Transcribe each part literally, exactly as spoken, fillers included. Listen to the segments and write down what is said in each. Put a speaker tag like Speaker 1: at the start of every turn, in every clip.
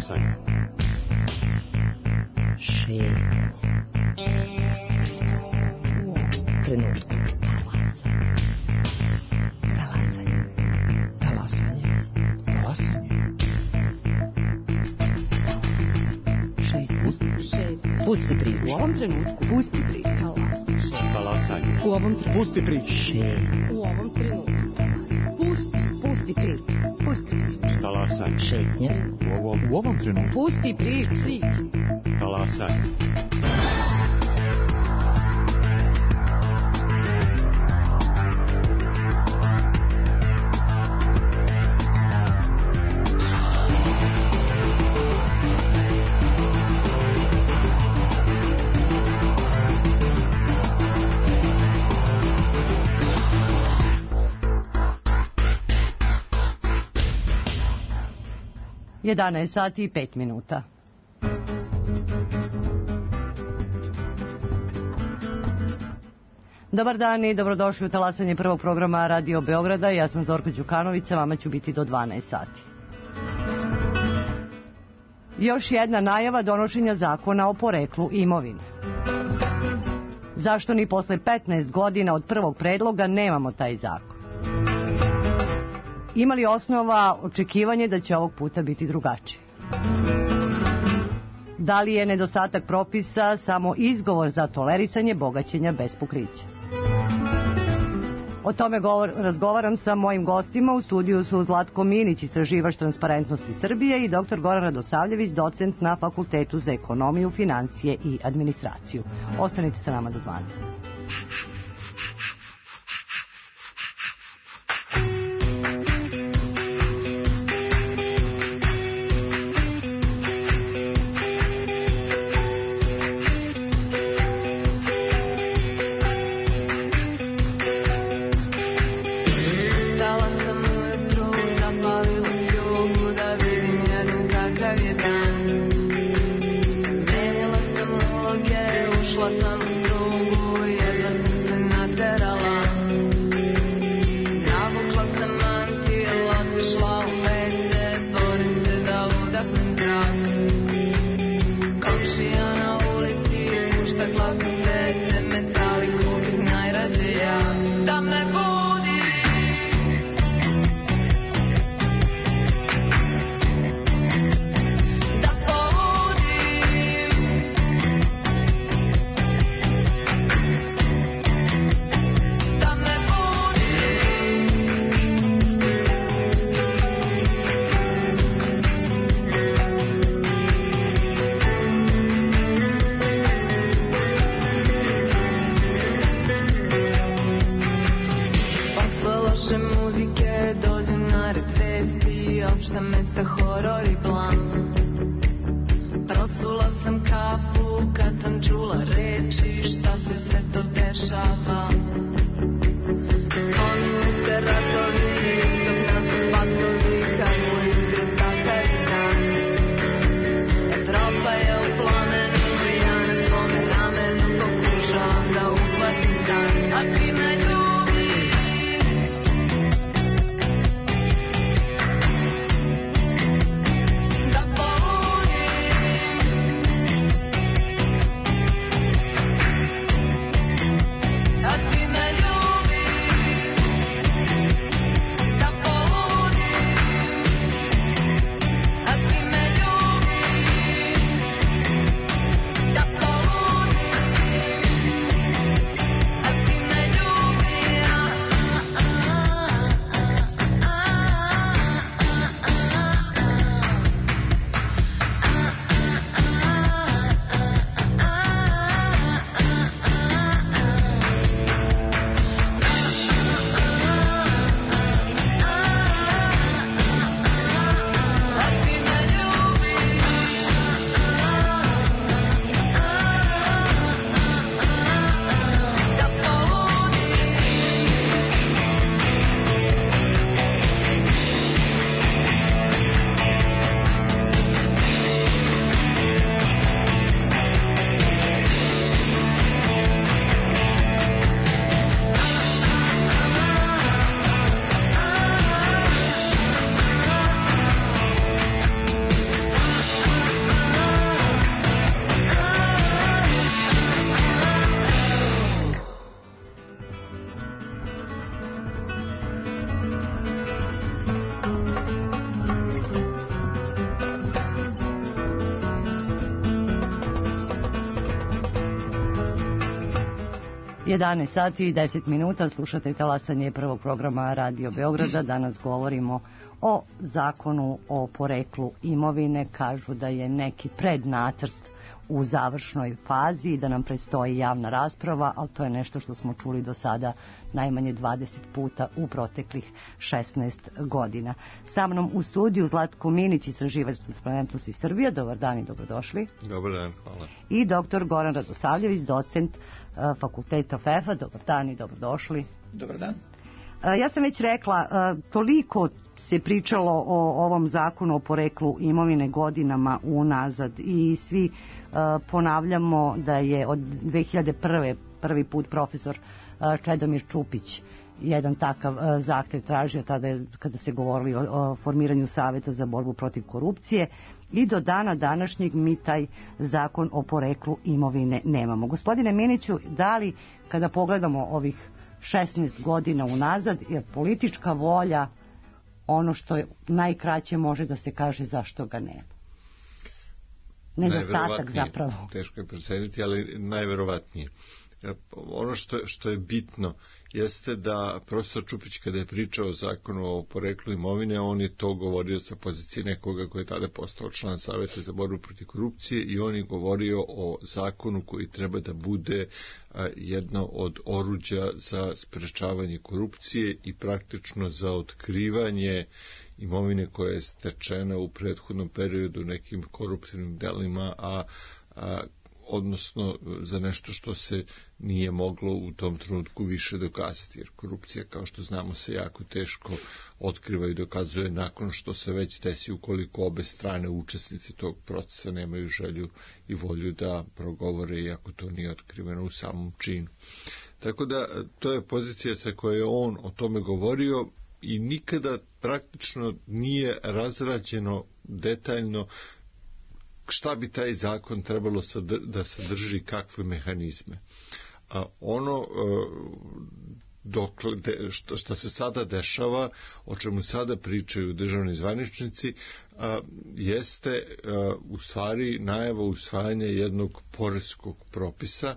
Speaker 1: Talasanje.
Speaker 2: Šetnje. U ovom trenutku. Talasanje. Talasanje. Talasanje. Šetnje. Pusti priču. U ovom trenutku. Pusti priču.
Speaker 1: Talasanje.
Speaker 2: U ovom trenutku.
Speaker 1: Pusti priču.
Speaker 2: Šetnje. U ovom trenutku. Pusti. Pusti priču. Pusti priču.
Speaker 1: Talasanje.
Speaker 2: Šetnje.
Speaker 1: U ovom, u ovom trenutku.
Speaker 2: Pusti priču.
Speaker 1: Talasanje.
Speaker 3: jedanaest sati i pet minuta. Dobar dan i dobrodošli u talasanje prvog programa Radio Beograda. Ja sam Zorka Đukanović, sa vama ću biti do dvanaest sati. Još jedna najava donošenja zakona o poreklu imovine. Zašto ni posle petnaest godina od prvog predloga nemamo taj zakon? Ima li osnova očekivanje da će ovog puta biti drugačije? Da li je nedostatak propisa samo izgovor za tolerisanje bogaćenja bez pokrića? O tome govor, razgovaram sa mojim gostima. U studiju su Zlatko Minić, istraživač Transparentnosti Srbije, i doktor Goran Radosavljević, docent na Fakultetu za ekonomiju, financije i administraciju. Ostanite sa nama do dvanaest.
Speaker 4: Da
Speaker 3: jedanaest sati i deset minuta, slušate talasanje prvog programa Radio Beograda. Danas govorimo o zakonu o poreklu imovine. Kažu da je neki prednacrt u završnoj fazi i da nam predstoji javna rasprava, ali to je nešto što smo čuli do sada najmanje dvadeset puta u proteklih šesnaest godina. Sa mnom u studiju Zlatko Minić, istraživač Transparentnosti Srbije. Dobar dan i dobrodošli.
Speaker 4: Dobar dan, hvala.
Speaker 3: I doktor Goran Radosavljević, docent uh, fakulteta F E F-a. Dobar dan i dobrodošli.
Speaker 5: Dobar dan.
Speaker 3: Uh, ja sam već rekla, uh, toliko se pričalo o ovom zakonu o poreklu imovine godinama unazad i svi uh, ponavljamo da je od dve hiljade prve prvi put profesor uh, Čedomir Čupić jedan takav uh, zahtev tražio tada je, kada se govorili o, o formiranju saveta za borbu protiv korupcije i do dana današnjeg mi taj zakon o poreklu imovine nemamo. Gospodine Miniću, da li kada pogledamo ovih šesnaest godina unazad je politička volja ono što je najkraće može da se kaže zašto ga nema? Nedostatak zapravo.
Speaker 4: Teško je proceniti, ali najverovatnije. Ono što, što je bitno jeste da profesor Čupić kada je pričao o zakonu o poreklu imovine, on je to govorio sa pozicije nekoga koji je tada postao član Saveta za borbu protiv korupcije i on je govorio o zakonu koji treba da bude a, jedno od oruđa za sprečavanje korupcije i praktično za otkrivanje imovine koja je stečena u prethodnom periodu nekim koruptivnim delima, a, a odnosno za nešto što se nije moglo u tom trenutku više dokazati, jer korupcija, kao što znamo, se jako teško otkriva i dokazuje nakon što se već desi, ukoliko obe strane učesnici tog procesa nemaju želju i volju da progovore, iako to nije otkriveno u samom činu. Tako da, to je pozicija sa kojoj je on o tome govorio i nikada praktično nije razrađeno detaljno šta bi taj zakon trebalo da sadrži, kakve mehanizme. A ono dokle, što, što se sada dešava, o čemu sada pričaju državni zvaničnici, a, jeste a, u stvari najava usvajanja jednog poreskog propisa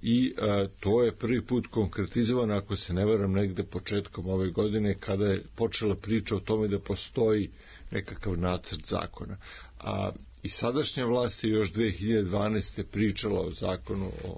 Speaker 4: i a, to je prvi put konkretizovano, ako se ne varam, negde početkom ove godine, kada je počela priča o tome da postoji nekakav nacrt zakona. A i sadašnja vlast je još dve hiljade dvanaeste. pričala o zakonu o,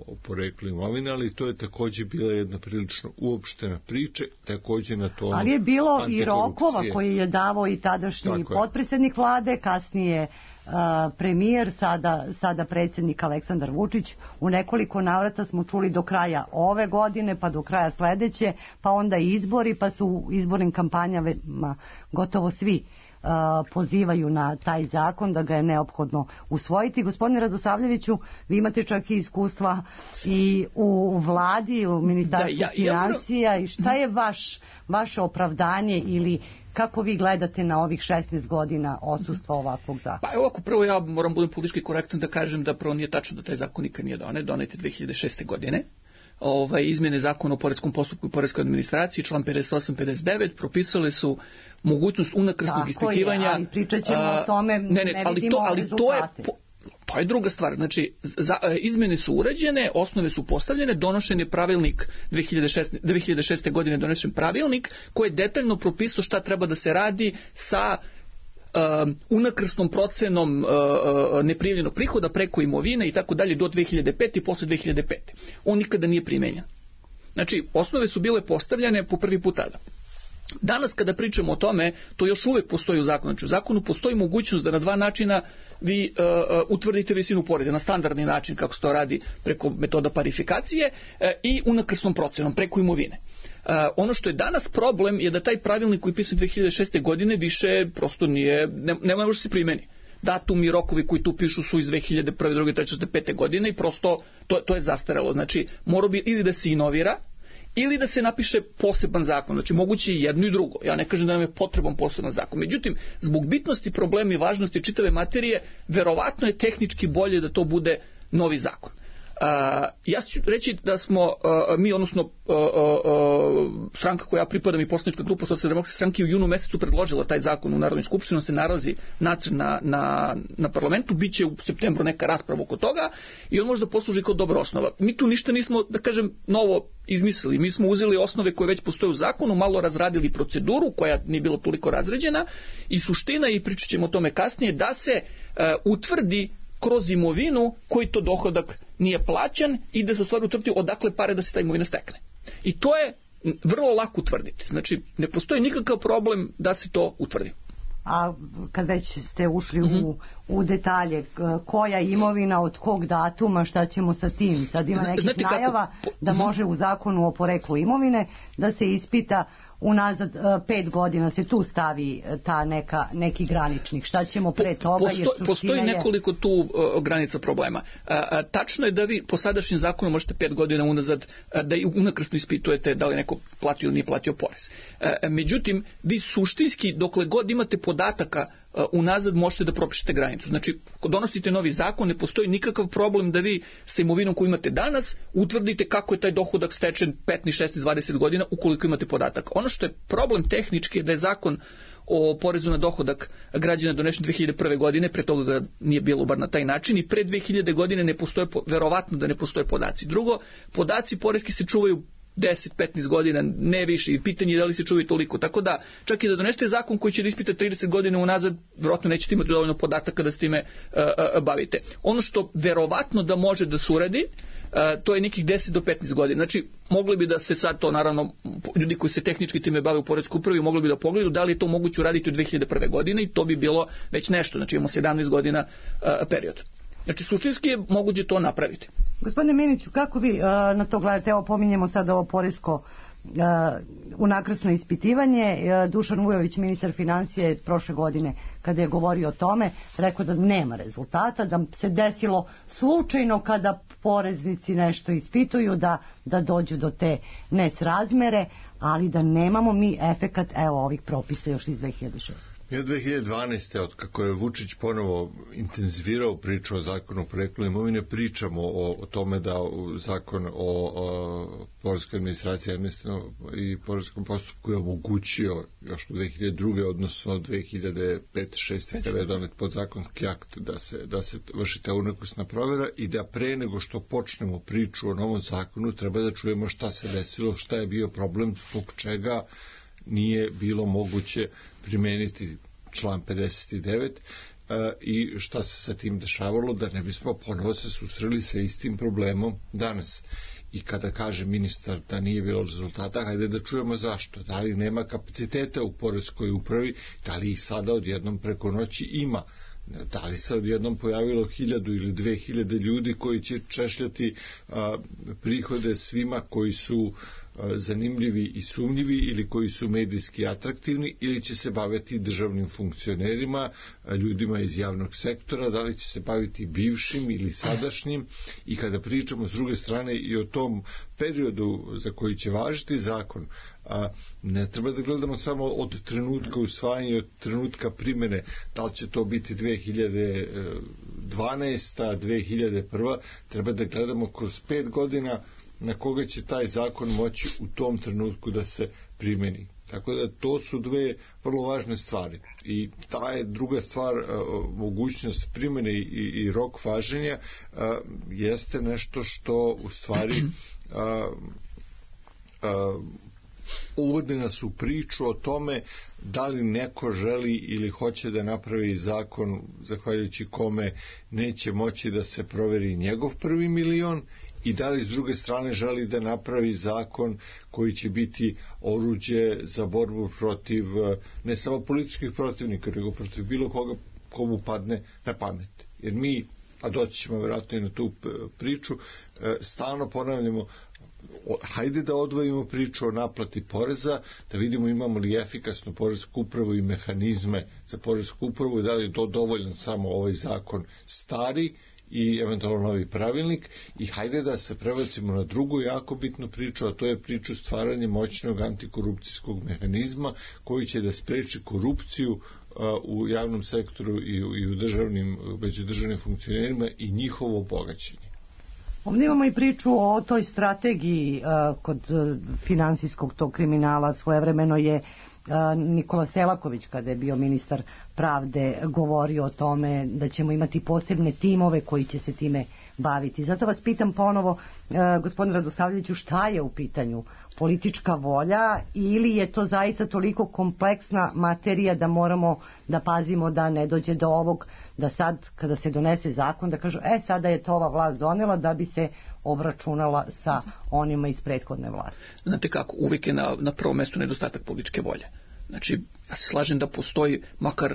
Speaker 4: o poreklu imovine, ali to je takođe bila jedna prilično uopštena priča, takođe na to.
Speaker 3: Ali je bilo i rokova koji je davao i tadašnji potpredsjednik vlade, kasnije uh, premijer, sada, sada predsjednik Aleksandar Vučić. U nekoliko navrata smo čuli do kraja ove godine, pa do kraja sledeće, pa onda izbori, pa su u izbornim kampanjama gotovo svi Uh, pozivaju na taj zakon, da ga je neophodno usvojiti. Gospodine Radosavljeviću, vi imate čak i iskustva i u vladi, u ministarstvu da, ja, financija ja, i šta je vaš, vaše opravdanje ili kako vi gledate na ovih šesnaest godina odsustva ovakvog zakona?
Speaker 5: Pa evo, ako prvo ja moram budem politički korektan da kažem da prvo nije tačno da taj zakon nikad nije donet, donet je dve hiljade šeste. godine. Ovaj, izmjene zakona o poreskom postupku i poreskoj administraciji, član pedeset osam pedeset devet, propisali su mogućnost unakrsnog ispitivanja.
Speaker 3: Tako je, ali pričat ćemo o tome, ne, ne, ne ali vidimo to, ali rezultate. To je, to je druga stvar. Znači, za, izmjene su urađene, osnove su postavljene, donošen je pravilnik dve hiljade šeste. godine donesen pravilnik koji je detaljno propisao šta treba da se radi sa Uh, unakrsnom procenom uh, uh, neprijavljenog prihoda preko imovine i tako dalje do dve hiljade pete i posle dve hiljade pete. On nikada nije primenjen. Znači, osnove su bile postavljene po prvi put tada. Danas kada pričamo o tome, to još uvek postoji u zakonu. Znači, u zakonu postoji mogućnost da na dva načina vi uh, uh, utvrdite visinu poreza. Na standardni način, kako se to radi preko metoda parifikacije uh, i unakrsnom procenom preko imovine. Uh, ono što je danas problem je da taj pravilnik koji je pisan dve hiljade šeste. godine više prosto nije, ne, ne može se primeni. Datumi i rokovi koji tu pišu su iz dve hiljade prve, druge, treće, pete. godine i prosto to, to je zastarelo. Znači, mora bi ili da se inovira ili da se napiše poseban zakon. Znači, moguće i jedno i drugo. Ja ne kažem da nam je potreban poseban zakon. Međutim, zbog bitnosti problema i važnosti čitave materije, verovatno je tehnički bolje da to bude novi zakon.
Speaker 5: Ja ću reći da smo mi, odnosno stranka koja pripada i poslanička grupa Socijaldemokratske stranke u junu mesecu predložila taj zakon u Narodnoj skupštini, on se nalazi na, na, na parlamentu, bit će u septembru neka rasprava oko toga i on možda posluži kao dobra osnova. Mi tu ništa nismo, da kažem, novo izmislili. Mi smo uzeli osnove koje već postoje u zakonu, malo razradili proceduru koja nije bila toliko razređena i suština, i pričat ćemo o tome kasnije, da se uh, utvrdi kroz imovinu koji to dohodak nije plaćan i da se u stvari utvrdi odakle pare da se ta imovina stekne. I to je vrlo lako utvrditi. Znači, ne postoji nikakav problem da se to utvrdi.
Speaker 3: A kad već ste ušli mm-hmm. u, u detalje, koja imovina, od kog datuma, šta ćemo sa tim? Sad ima nekih Znate najava kako? da može u zakonu o poreklu imovine da se ispita unazad pet godina, se tu stavi ta neka, neki graničnik. Šta ćemo pre toga?
Speaker 5: Posto, jer postoji je... nekoliko tu uh, granica problema. Uh, uh, tačno je da vi po sadašnjem zakonu možete pet godina unazad uh, da i unakrsno ispitujete da li neko platio ili nije platio porez. Uh, međutim, vi suštinski, dokle god imate podataka uh, unazad, možete da propišete granicu. Znači, ako donosite novi zakon, ne postoji nikakav problem da vi sa imovinom koju imate danas utvrdite kako je taj dohodak stečen petnaest, šesnaest, dvadeset godina ukoliko imate podatak. Ono što je problem tehnički je da je zakon o porezu na dohodak građana donesen dve hiljade prve. godine, pre toga ga nije bilo bar na taj način, i pre dve hiljade. godine ne postoje, verovatno da ne postoje podaci. Drugo, podaci poreski se čuvaju deset do petnaest godina, ne više, i pitanje je da li se čuvaju toliko. Tako da, čak i da donesete zakon koji će da ispita trideset godina unazad, verovatno nećete imati dovoljno podataka da s time uh, uh, bavite. Ono što verovatno da može da se uradi, Uh, to je nekih deset do petnaest godina. Znači, mogli bi da se sad to, naravno, ljudi koji se tehnički time bave u poreskoj upravi, mogli bi da pogledaju da li je to moguće uraditi u dve hiljade prve. godine i to bi bilo već nešto. Znači, imamo sedamnaest godina uh, period. Znači, suštinski je moguće to napraviti.
Speaker 3: Gospodine Miniću, kako vi uh, na to gledate? Evo, pominjemo sad ovo poresko Uh, unakrasno ispitivanje. uh, Dušan Vujović, ministar financije, prošle godine kada je govorio o tome, rekao da nema rezultata, da se desilo slučajno kada poreznici nešto ispituju da, da dođu do te nesrazmere, ali da nemamo mi efekat evo ovih propisa još iz dve hiljade šeste.
Speaker 4: Mi od dve hiljade dvanaeste. od kako je Vučić ponovo intenzivirao priču o zakonu o poreklu imovine, pričamo o, o tome da zakon o, o poreskoj administraciji i poreskom postupku je omogućio još u dve hiljade druge. odnosno dve hiljade pete šeste. kada je donet podzakonski akt da se, da se vrši ta unakrsna provjera, i da pre nego što počnemo priču o novom zakonu treba da čujemo šta se desilo, šta je bio problem, zbog čega nije bilo moguće primeniti član pedeset devet uh, i šta se sa tim dešavalo, da ne bismo ponovo se susreli sa istim problemom danas. I kada kaže ministar da nije bilo rezultata, hajde da čujemo zašto. Da li nema kapaciteta u poreskoj upravi, da li ih sada odjednom preko noći ima, da li se odjednom pojavilo hiljadu ili dve hiljade ljudi koji će češljati a, prihode svima koji su a, zanimljivi i sumnjivi ili koji su medijski atraktivni, ili će se baviti državnim funkcionerima, a, ljudima iz javnog sektora, da li će se baviti bivšim ili sadašnjim. I kada pričamo s druge strane i o tom periodu za koji će važiti zakon, a, ne treba da gledamo samo od trenutka usvajanja, od trenutka primjene, da li će to biti dve hiljade dvanaesta. dve hiljade prva. treba da gledamo kroz pet godina na koga će taj zakon moći u tom trenutku da se primjeni. Tako da to su dve vrlo važne stvari. I ta je druga stvar, mogućnost primjene i, i rok važenja, jeste nešto što u stvari a, a, uvodi nas u priču o tome da li neko želi ili hoće da napravi zakon zahvaljujući kome neće moći da se proveri njegov prvi milion, i da li s druge strane želi da napravi zakon koji će biti oruđe za borbu protiv ne samo političkih protivnika, nego protiv bilo koga komu padne na pamet. Jer mi, a doći ćemo vjerojatno i na tu priču, stalno ponavljamo, hajde da odvojimo priču o naplati poreza, da vidimo imamo li efikasnu poresku upravu i mehanizme za poresku upravu, i da li je to dovoljan samo ovaj zakon stari i eventualno novi pravilnik, i hajde da se prebacimo na drugu jako bitnu priču, a to je priču stvaranja moćnog antikorupcijskog mehanizma koji će da spreči korupciju u javnom sektoru i u, i u državnim, među državnim funkcionerima i njihovo bogaćenje.
Speaker 3: Ovdje imamo i priču o toj strategiji uh, kod uh, finansijskog tog kriminala. Svojevremeno je uh, Nikola Selaković, kada je bio ministar pravde, govorio o tome da ćemo imati posebne timove koji će se time baviti. Zato vas pitam ponovo, uh, gospodine Radosavljeviću, šta je u pitanju? Politička volja ili je to zaista toliko kompleksna materija da moramo da pazimo da ne dođe do ovog, da sad kada se donese zakon da kažu e sada je to ova vlast donela da bi se obračunala sa onima iz prethodne vlasti?
Speaker 5: Znate kako, uvijek je na, na prvom mjestu nedostatak političke volje. Znači, ja se slažem da postoji makar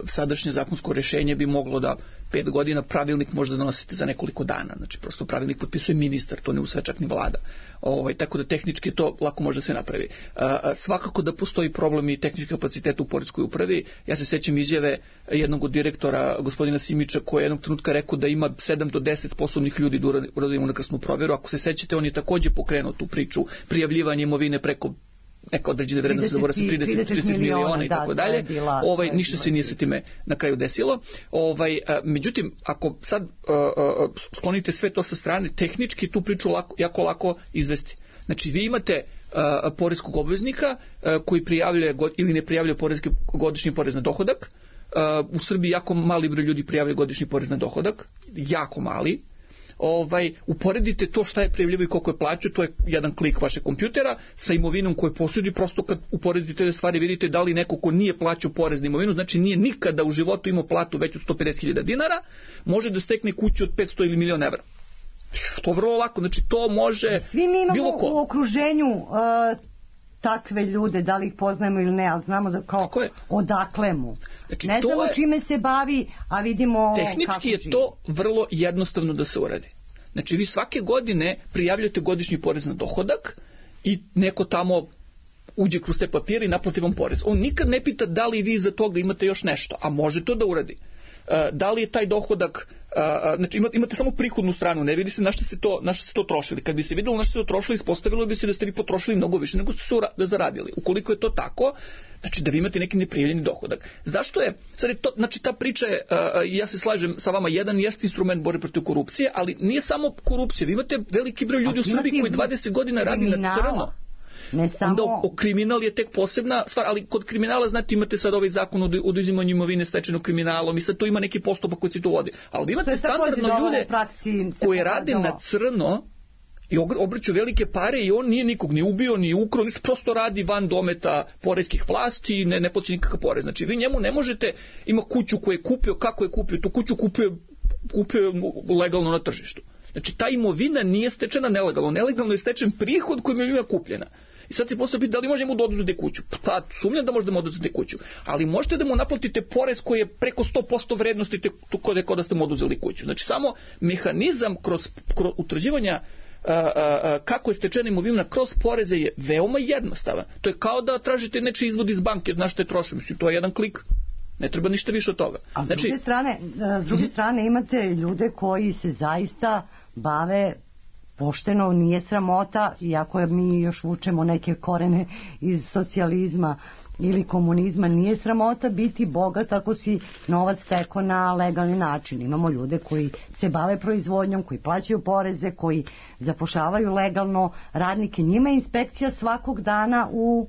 Speaker 5: sadašnje zakonsko rješenje bi moglo da pet godina pravilnik može da donosite za nekoliko dana. Znači, prosto pravilnik potpisuje ministar, to ne usvaja čak ni vlada. Ovaj, tako da tehnički to lako može da se napravi. A, svakako da postoji problem i tehnički kapacitet u poreskoj upravi. Ja se sećam izjave jednog od direktora, gospodina Simića, koji je jednog trenutka rekao da ima sedam do deset sposobnih ljudi da uradi unakrsnu provjeru. Ako se sećate, on je takođe pokrenuo tu priču prijavljivanje imovine preko neka određene vrednosti, zaboravio sam trideset miliona i tako dalje. Ovaj ništa se nije sa time na kraju desilo. Ovaj a, međutim, ako sad a, a, sklonite sve to sa strane, tehnički tu priču lako, jako lako izvesti. Znači, vi imate a, poreskog obveznika a, koji prijavljuje god, ili ne prijavljuje poreski godišnji porez na dohodak. A, u Srbiji jako mali broj ljudi prijavljuje godišnji porez na dohodak, jako mali. Ovaj, uporedite to šta je prijavljivo i koliko je plaćao, to je jedan klik vašeg kompjutera sa imovinom koju posjeduje. Prosto kad uporedite te stvari vidite da li neko ko nije plaćao porez na imovinu, znači nije nikada u životu imao platu veću od sto pedeset hiljada dinara, može da stekne kuću od petsto ili milion evra. To je vrlo lako, znači to može
Speaker 3: svi mi imamo
Speaker 5: bilo ko.
Speaker 3: U okruženju uh, takve ljude, da li ih poznajemo ili ne, ali znamo da kao odakle mu. Znači, ne znamo je, čime se bavi, a vidimo
Speaker 5: tehnički je živi. To vrlo jednostavno da se uradi. Znači, vi svake godine prijavljate godišnji porez na dohodak i neko tamo uđe kroz te papire i naplati vam porez. On nikad ne pita da li vi za toga imate još nešto, a može to da uradi. Da li je taj dohodak, znači imate, imate samo prihodnu stranu, ne vidi se na što se to, na što se to trošili. Kad bi se vidjelo na što se to trošili, ispostavilo bi se da ste vi potrošili mnogo više nego ste se zaradili. Ukoliko je to tako, znači da vi imate neki neprijavljeni dohodak. Zašto je, sad je to, znači ta priča je, ja se slažem sa vama, jedan jest instrument borbe protiv korupcije, ali nije samo korupcija. Vi imate veliki broj ljudi u Srbiji koji dvadeset godina radi na crno.
Speaker 3: Ne samo...
Speaker 5: Onda o, kriminal je tek posebna stvar, ali kod kriminala, znate, imate sad ovaj zakon o oduzimanju imovine stečenog kriminalom i sad tu ima neki postupak koji se tu vodi. Ali vi imate standardno ljude koji rade na crno i obrću velike pare i on nije nikog ni ubio, ni ukrao, prosto radi van dometa poreskih vlasti i ne, ne plaća nikakav porez. Znači, vi njemu ne možete, ima kuću koju je kupio, kako je kupio, tu kuću kupio, kupio legalno na tržištu. Znači, ta imovina nije stečena nelegalno. Nelegalno je stečen prihod kojim je imovina kupljena. I sad se postavlja da li možemo da oduzeti kuću? Pa sumnjam da možete da mu oduzeti kuću. Ali možete da mu naplatite porez koji je preko sto posto vrednosti kod je kod da ste mu oduzeli kuću. Znači, samo mehanizam kroz, kroz utvrđivanja a, a, a, kako je stečena imovina kroz poreze je veoma jednostavan. To je kao da tražite nečiji izvod iz banke, znaš što je troši. Mislim, to je jedan klik. Ne treba ništa više od toga.
Speaker 3: A s
Speaker 5: znači,
Speaker 3: druge strane, s druge strane imate ljude koji se zaista bave pošteno, nije sramota, iako mi još vučemo neke korene iz socijalizma ili komunizma, nije sramota biti bogat ako si novac stekao na legalni način. Imamo ljude koji se bave proizvodnjom, koji plaćaju poreze, koji zapošljavaju legalno radnike. Njima je inspekcija svakog dana u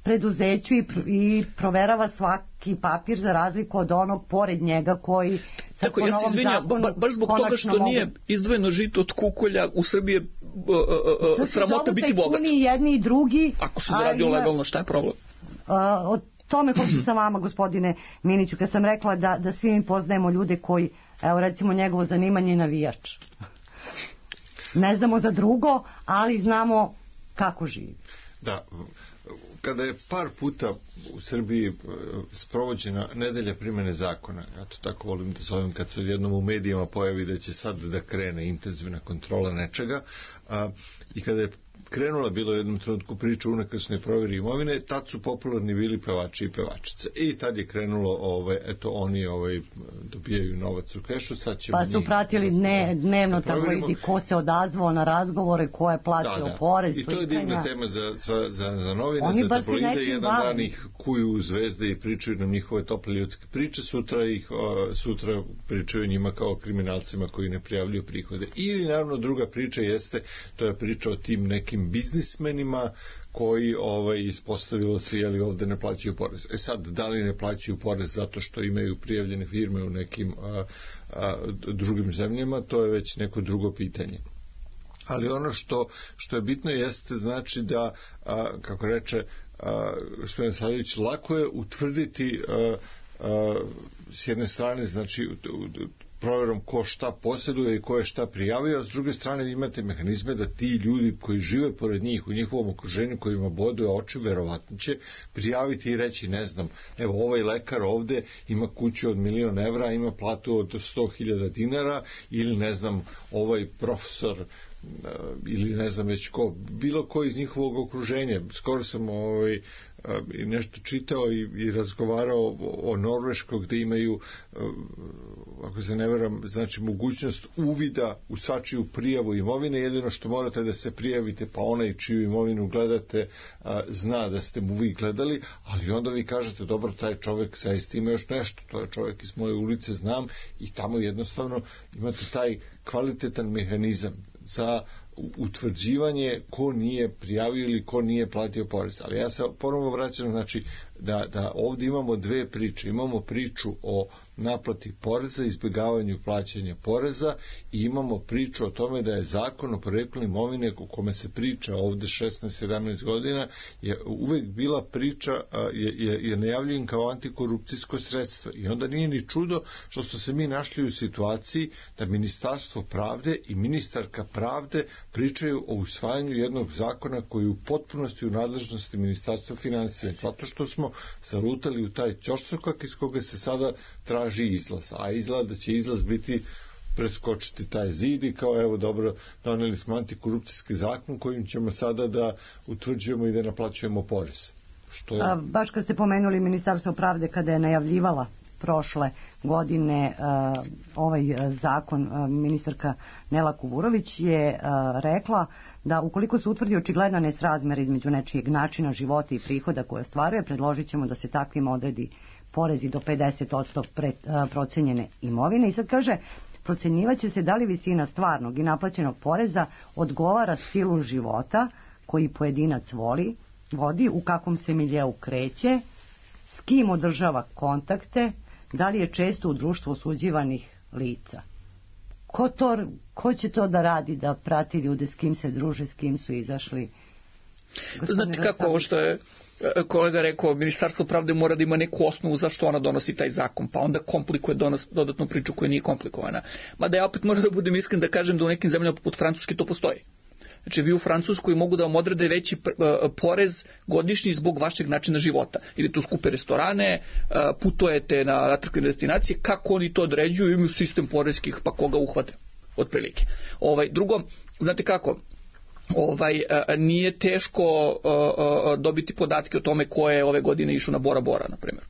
Speaker 3: preduzeću i, i proverava svaki papir za razliku od onog pored njega koji sad
Speaker 5: tako, ja se izvinjam, ba, baš zbog toga što mogu... nije izdvojeno žito od kukolja u Srbiji je uh, uh, uh, sramota biti bogat.
Speaker 3: Jedni i drugi.
Speaker 5: Ako se zaradio ima... legalno, šta je problem?
Speaker 3: Uh, o tome hoću sa vama, gospodine Miniću, kad sam rekla da, da svi mi poznajemo ljude koji, evo recimo njegovo zanimanje je navijač. Ne znamo za drugo, ali znamo kako živi.
Speaker 4: Da, kada je par puta u Srbiji sprovođena nedelja primjene zakona, ja to tako volim da zovem kad se jednom u medijima pojavi da će sad da krene intenzivna kontrola nečega, a, i kada je krenula bilo u jednom trenutku priča unakrsne provjeri imovine, tad su popularni bili pevači i pevačice. I tad je krenulo, ovaj, eto, oni ovaj, dobijaju novac u kešu, sad ćemo
Speaker 3: pa su pratili dne, dnevno tabloidi ko se odazvao na razgovore, ko je platio
Speaker 4: da, da.
Speaker 3: porez.
Speaker 4: I to je divna tema za, za, za, za novine,
Speaker 3: oni
Speaker 4: za tabloide. Jedan
Speaker 3: bavim.
Speaker 4: dan ih kuju u zvezde i pričaju nam njihove tople ljudske priče, sutra ih o, sutra pričaju njima kao kriminalcima koji ne prijavljuju prihode. Ili naravno druga priča jeste, to je priča o tim nekim biznismenima koji ovaj, ispostavilo se jeli ovde ne plaćaju porez. E sad, da li ne plaćaju porez zato što imaju prijavljene firme u nekim a, a, drugim zemljama, to je već neko drugo pitanje. Ali ono što, što je bitno jeste, znači da, a, kako reče a, gospodin Savljević, lako je utvrditi a, a, s jedne strane, znači u, u, provjerom ko šta posjeduje i ko je šta prijavio, a s druge strane imate mehanizme da ti ljudi koji žive pored njih u njihovom okruženju, kojima boduje oči, verovatno će prijaviti i reći, ne znam, evo ovaj lekar ovde ima kuću od milion evra, ima platu od sto hiljada dinara, ili ne znam, ovaj profesor ili ne znam već ko, bilo ko iz njihovog okruženja. Skoro sam ovaj, nešto čitao i, i razgovarao o, o Norveškoj, gde imaju, ako se ne veram, znači mogućnost uvida u svačiju prijavu imovine. Jedino što morate da se prijavite, pa onaj čiju imovinu gledate zna da ste mu vi gledali, ali onda vi kažete, dobro, taj čovjek zaista ima još nešto, to je čovjek iz moje ulice, znam, i tamo jednostavno imate taj kvalitetan mehanizam za utvrđivanje ko nije prijavio ili ko nije platio porez. Ali ja se ponovo vraćam, znači da, da ovdje imamo dve priče. Imamo priču o naplati poreza, izbjegavanju plaćanja poreza, i imamo priču o tome da je zakon o poreklu imovine, o kome se priča ovdje šesnaest sedamnaest godina, je uvek bila priča, je, je, je najavljen kao antikorupcijsko sredstvo. I onda nije ni čudo što su se mi našli u situaciji da Ministarstvo pravde i ministarka pravde pričaju o usvajanju jednog zakona koji je u potpunosti u nadležnosti Ministarstva financija, zato što smo zarutali u taj ćorsokak iz koga se sada traži izlaz, a izgleda da će izlaz biti preskočiti taj zid i kao, evo, dobro, doneli smo antikorupcijski zakon kojim ćemo sada da utvrđujemo i da naplaćujemo porez. Što je...
Speaker 3: A, baš kad ste pomenuli Ministarstvo pravde, kada je najavljivala prošle godine uh, ovaj uh, zakon, uh, ministarka Nela Kuburović je uh, rekla da ukoliko se utvrdi očigledna nesrazmjer između nečijeg načina života i prihoda koje ostvaruje, predložit ćemo da se takvim odredi porezi do pedeset posto pre, uh, procenjene imovine. I sad kaže, procenjivat će se da li visina stvarnog i naplaćenog poreza odgovara stilu života koji pojedinac voli, vodi, u kakvom se miljeu kreće, s kim održava kontakte, da li je često u društvu osuđivanih lica. Ko, to, ko će to da radi, da prati ljude, s kim se druže, s kim su izašli?
Speaker 5: Znate kako, ovo što je kolega rekao, Ministarstvo pravde mora da ima neku osnovu zašto ona donosi taj zakon, pa onda komplikuje donos, dodatnu priču koja nije komplikovana. Mada ja opet moram da budem iskren da kažem da u nekim zemljama poput Francuske to postoji. Znači, vi u Francuskoj mogu da vam odrede veći porez godišnji zbog vašeg načina života. Idete u skupe restorane, putujete na atraktivne destinacije, kako oni to određuju, imaju sistem porezkih, pa koga uhvate, otprilike. Ovaj, drugo, znate kako, ovaj, nije teško dobiti podatke o tome ko je ove godine išao na Bora Bora, na primjer.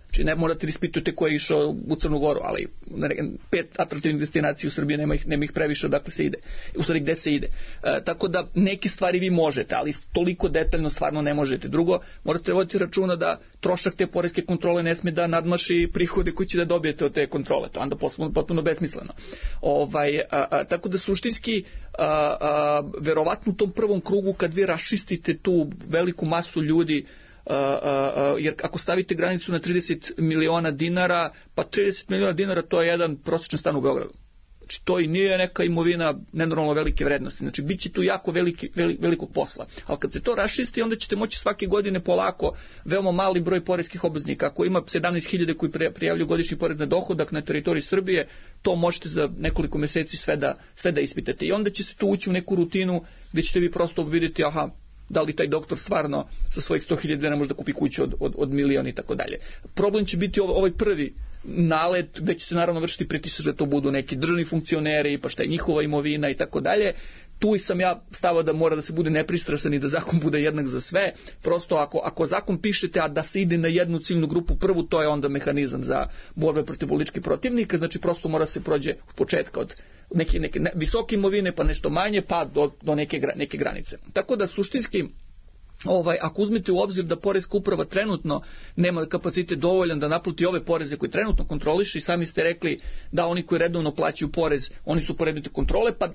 Speaker 5: Znači, ne morate da ispitujete ko je išao u Crnu Goru, ali pet atraktivnih destinacija u Srbiji nema ih, nema ih previše odakle se ide, u stvari gde se ide. E, tako da neke stvari vi možete, ali toliko detaljno stvarno ne možete. Drugo, morate voditi računa da trošak te poreske kontrole ne sme da nadmaši prihode koji će da dobijete od te kontrole. To onda potpuno, potpuno besmisleno. Ovaj, a, a, tako da suštinski, a, a, verovatno u tom prvom krugu kad vi raščistite tu veliku masu ljudi, Uh, uh, uh, jer ako stavite granicu na trideset miliona dinara, pa trideset miliona dinara to je jedan prosječan stan u Beogradu. Znači, to i nije neka imovina nenormalno velike vrednosti. Znači, bit će tu jako veliki, veli, velikog posla. Ali kad se to raščisti, onda ćete moći svake godine polako, veoma mali broj poreskih obveznika. Ako ima sedamnaest hiljada koji prijavljuju godišnji porez na dohodak na teritoriji Srbije, to možete za nekoliko meseci sve da, sve da ispitate. I onda će se tu ući u neku rutinu gdje ćete vi prosto vidjeti, aha, da li taj doktor stvarno sa svojih sto hiljada dinara može da kupi kuću od, od, od milion i tako dalje. Problem će biti ovaj prvi nalet, gde će se naravno vršiti pritisak da to budu neki državni funkcioneri, pa šta je njihova imovina i tako dalje. tu sam ja stava da mora da se bude nepristrasan i da zakon bude jednak za sve. Prosto ako, ako zakon pišete, a da se ide na jednu ciljnu grupu prvu, to je onda mehanizam za borbe protiv političkih protivnika, znači prosto mora se prođe od početka od neke, neke ne, visoke imovine, pa nešto manje, pa do, do neke, neke granice. Tako da suštinski, Ovaj, ako uzmete u obzir da poreska uprava trenutno nema kapacitet dovoljan da naplati ove poreze koje trenutno kontroliše, i sami ste rekli da oni koji redovno plaćaju porez, oni su predmeti kontrole, pa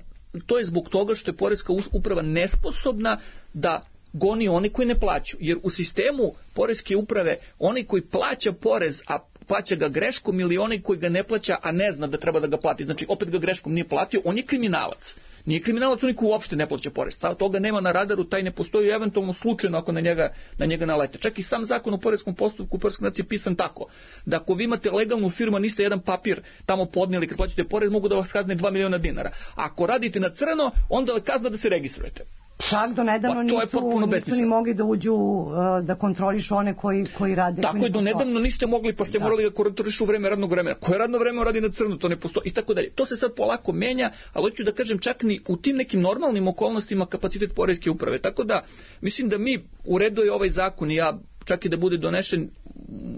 Speaker 5: to je zbog toga što je poreska uprava nesposobna da goni oni koji ne plaćaju. Jer u sistemu poreske uprave oni koji plaća porez, a plaća ga greškom, ili onaj koji ga ne plaća, a ne zna da treba da ga plati, znači opet ga greškom nije platio, on je kriminalac. Nije kriminalac onaj koji uopšte ne plaća porez. Toga nema na radaru, taj ne postoji, eventualno slučajno ako na njega, na njega nalete. Čak i sam zakon o poreskom postupku u poreskoj naciji je pisan tako da ako vi imate legalnu firmu, niste jedan papir tamo podnijeli kad plaćate porez, mogu da vas kazne dva miliona dinara. Ako radite na crno, onda je kazna da se registrujete.
Speaker 3: Čak do nedavno
Speaker 5: pa,
Speaker 3: nisu, nisu ni mogli da uđu uh, da kontrolišu one koji, koji rade.
Speaker 5: Tako je, do nedavno niste mogli, pa ste da. morali da kontrolišu u vreme radnog vremena. Koje radno vreme radi na crno, to ne postoji i tako dalje. To se sad polako menja, ali hoću da kažem čak ni u tim nekim normalnim okolnostima kapacitet poreske uprave. Tako da mislim da mi u redu je ovaj zakon, i ja čak i da bude donešen,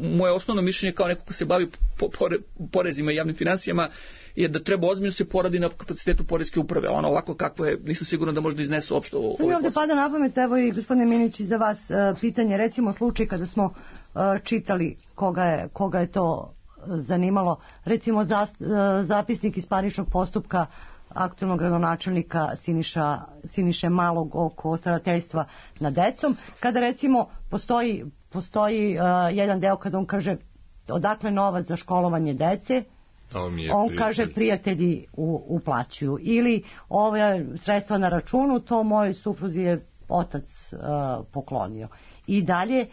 Speaker 5: moje osnovno mišljenje kao neko ko se bavi po, pore, porezima i javnim financijama je da treba ozbiljno se poradi na kapacitetu poreske uprave. Ono ovako kako je, nisam siguran da može da iznesu uopšte ovo.
Speaker 3: Sada mi ovdje pada na pamet, evo i gospodine Minić, za vas uh, pitanje, recimo slučaj kada smo uh, čitali koga je, koga je to zanimalo, recimo za, uh, zapisnik iz parničnog postupka aktualnog gradonačelnika Siniša, Siniše Malog oko starateljstva nad decom, kada recimo postoji, postoji uh, jedan deo kada on kaže odakle novac za školovanje dece, on prijatelj. kaže prijatelji u, uplaćuju, ili ove sredstva na računu, to moj supruzi je otac uh, poklonio. I dalje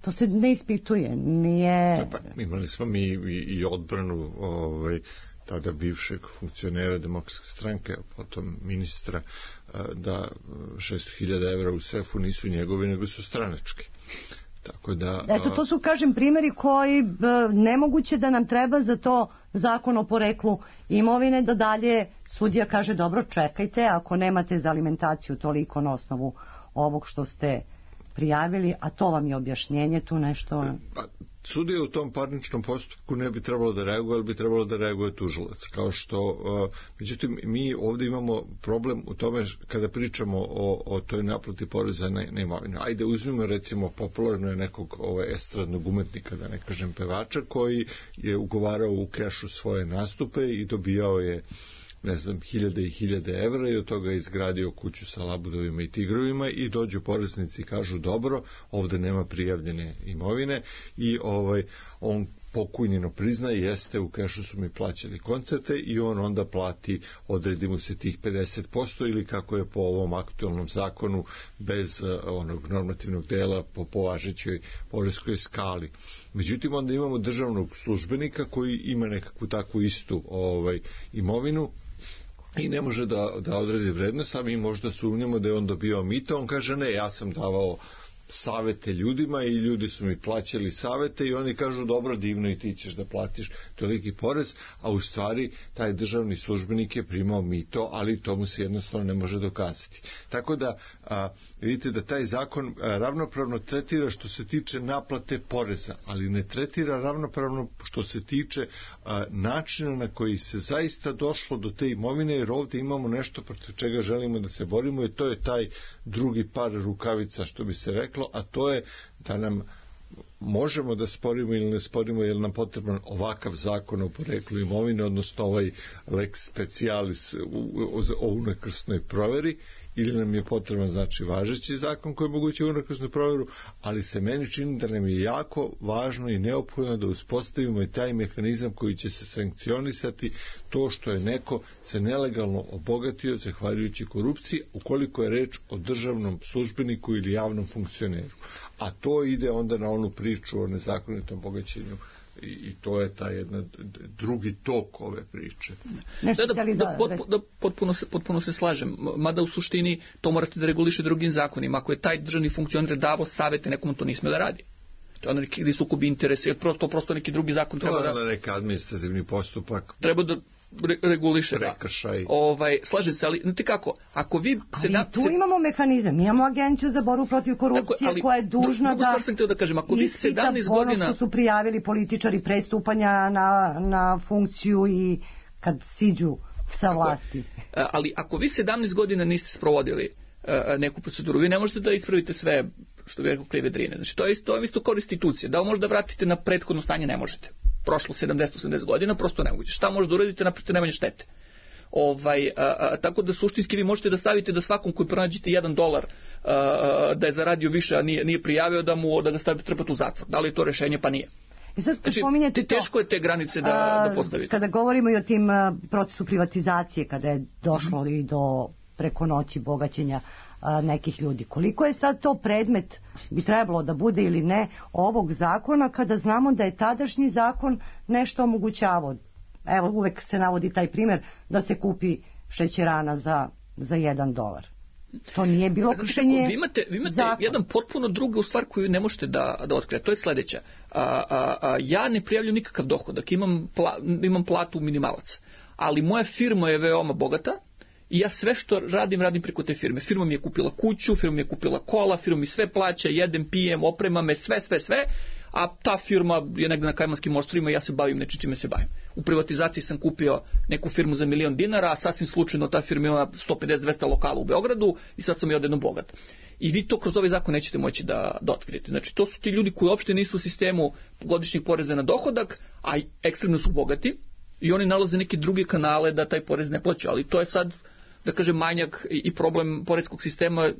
Speaker 3: to se ne ispituje, nije...
Speaker 4: Pa, imali smo mi i, i odbranu ovaj, tada bivšeg funkcionera Demokratske stranke, potom ministra, da šesto hiljada evra u sefu nisu njegovi, nego su stranački. Tako da,
Speaker 3: Eto, to su, kažem, primjeri koji nemoguće da nam treba za to zakon o poreklu imovine, da dalje sudija kaže dobro, čekajte, ako nemate za alimentaciju toliko na osnovu ovog što ste prijavili, a to vam je objašnjenje, tu nešto...
Speaker 4: Sudija u tom parničnom postupku ne bi trebalo da reaguje, ali bi trebalo da reaguje tužilac. Kao što, uh, međutim, mi ovdje imamo problem u tome kada pričamo o, o toj naplati poreza na, na imovinu. Ajde, uzmimo recimo popularno je nekog ovaj, estradnog umetnika, da ne kažem pevača, koji je ugovarao u kešu svoje nastupe i dobijao je ne znam, hiljade i hiljade evra i od toga je izgradio kuću sa labudovima i tigrovima i dođu poreznici i kažu dobro, ovdje nema prijavljene imovine i ovaj, on pokujnjeno priznaje, jeste, u kešu su mi plaćali koncerte i on onda plati, odredi mu se tih pedeset posto ili kako je po ovom aktualnom zakonu bez uh, onog normativnog dela po považećoj poreskoj skali. Međutim, onda imamo državnog službenika koji ima nekakvu takvu istu ovaj, imovinu i ne može da, da odredi vrednost, a mi možda sumnjamo da je on dobio mito, on kaže ne, ja sam davao savete ljudima i ljudi su mi plaćali savete i oni kažu dobro, divno, i ti ćeš da platiš toliki porez, a u stvari taj državni službenik je primao mito, ali to mu se jednostavno ne može dokazati. Tako da a, vidite da taj zakon a, ravnopravno tretira što se tiče naplate poreza, ali ne tretira ravnopravno što se tiče a, načina na koji se zaista došlo do te imovine, jer ovdje imamo nešto protiv čega želimo da se borimo i to je taj drugi par rukavica, što bi se reklo, a to je da nam možemo da sporimo ili ne sporimo, je li nam potreban ovakav zakon o poreklu imovine, odnosno ovaj lex specialis o unakrsnoj proveri, ili nam je potreban znači važeći zakon koji omogućuje unakrsnu proveru, ali se meni čini da nam je jako važno i neophodno da uspostavimo i taj mehanizam koji će se sankcionisati to što je neko se nelegalno obogatio zahvaljujući korupciji, ukoliko je reč o državnom službeniku ili javnom funkcioneru. A to ide onda na onu priču o nezakonitom bogaćenju i, i to je taj jedna drugi tok ove priče.
Speaker 5: Da, da, da, potpuno, da potpuno, se, potpuno se slažem, mada u suštini to morate da reguliše drugim zakonima. Ako je taj državni funkcioner davo savete, nekomu to nisme da radi. To je neki sukob interesa, jer to prosto neki drugi zakon treba da...
Speaker 4: To je neki administrativni postupak.
Speaker 5: Treba da re, reguliše da.
Speaker 4: Prekršaj.
Speaker 5: Ovaj, slažem se, ali znate kako, ako vi...
Speaker 3: Ali
Speaker 5: sedam,
Speaker 3: tu imamo mehanizam, mi imamo agenciju za borbu protiv korupcije
Speaker 5: tako,
Speaker 3: koja je dužna
Speaker 5: drugu
Speaker 3: da...
Speaker 5: stvar sam htio da kažem, ako vi sedamnaest godina...
Speaker 3: ono što su prijavili političari prestupanja na, na funkciju i kad siđu sa vlasti.
Speaker 5: Tako, ali ako vi sedamnaest godina niste sprovodili uh, neku proceduru, vi ne možete da ispravite sve što bi rekao krive drine. Znači to je isto, to je isto kao restitucija. Da li možete da vratite na prethodno stanje, ne možete. Prošlo sedamdeset osamdeset godina, prosto ne moguće. Šta možete uraditi, napravite najmanje štete. Ovaj, a, a, tako da suštinski vi možete da stavite da svakom koji pronađete jedan dolar a, a, da je zaradio više, a nije, nije prijavio, da mu da ga stavite trpati u zatvor. Da li je to rešenje? Pa nije.
Speaker 3: I sad
Speaker 5: znači,
Speaker 3: spominjete to,
Speaker 5: teško je te granice da, da postavite.
Speaker 3: Kada govorimo i o tim a, procesu privatizacije, kada je došlo mm-hmm. i do preko noći bogaćenja a, nekih ljudi. Koliko je sad to predmet, bi trebalo da bude ili ne, ovog zakona, kada znamo da je tadašnji zakon nešto omogućavao? Evo, uvek se navodi taj primjer da se kupi šećerana za, za jedan dolar. To nije bilo kršenje.
Speaker 5: Vi imate, vi imate jedan potpuno drugu stvar koju ne možete da, da otkrije. To je sljedeća. A, a, a, ja ne prijavljam nikakav dohodak. Imam, pla, imam platu minimalac. Ali moja firma je veoma bogata i ja sve što radim, radim preko te firme. Firma mi je kupila kuću, firma mi je kupila kola, firma mi sve plaća, jedem, pijem, oprema me, sve, sve, sve. A ta firma je negde na Kajmanskim ostrvima i ja se bavim nečim čime se bavim. U privatizaciji sam kupio neku firmu za milion dinara, a sasvim slučajno ta firma ima sto pedeset do dvesta lokala u Beogradu i sad sam i odjednom bogat. I vi to kroz ovaj zakon nećete moći da, da otkrijete. Znači to su ti ljudi koji uopšte nisu u sistemu godišnjih poreza na dohodak, a ekstremno su bogati i oni nalaze neke druge kanale da taj porez ne plaćaju. Ali to je sad, da kažem, manjak i, i problem poreskog sistema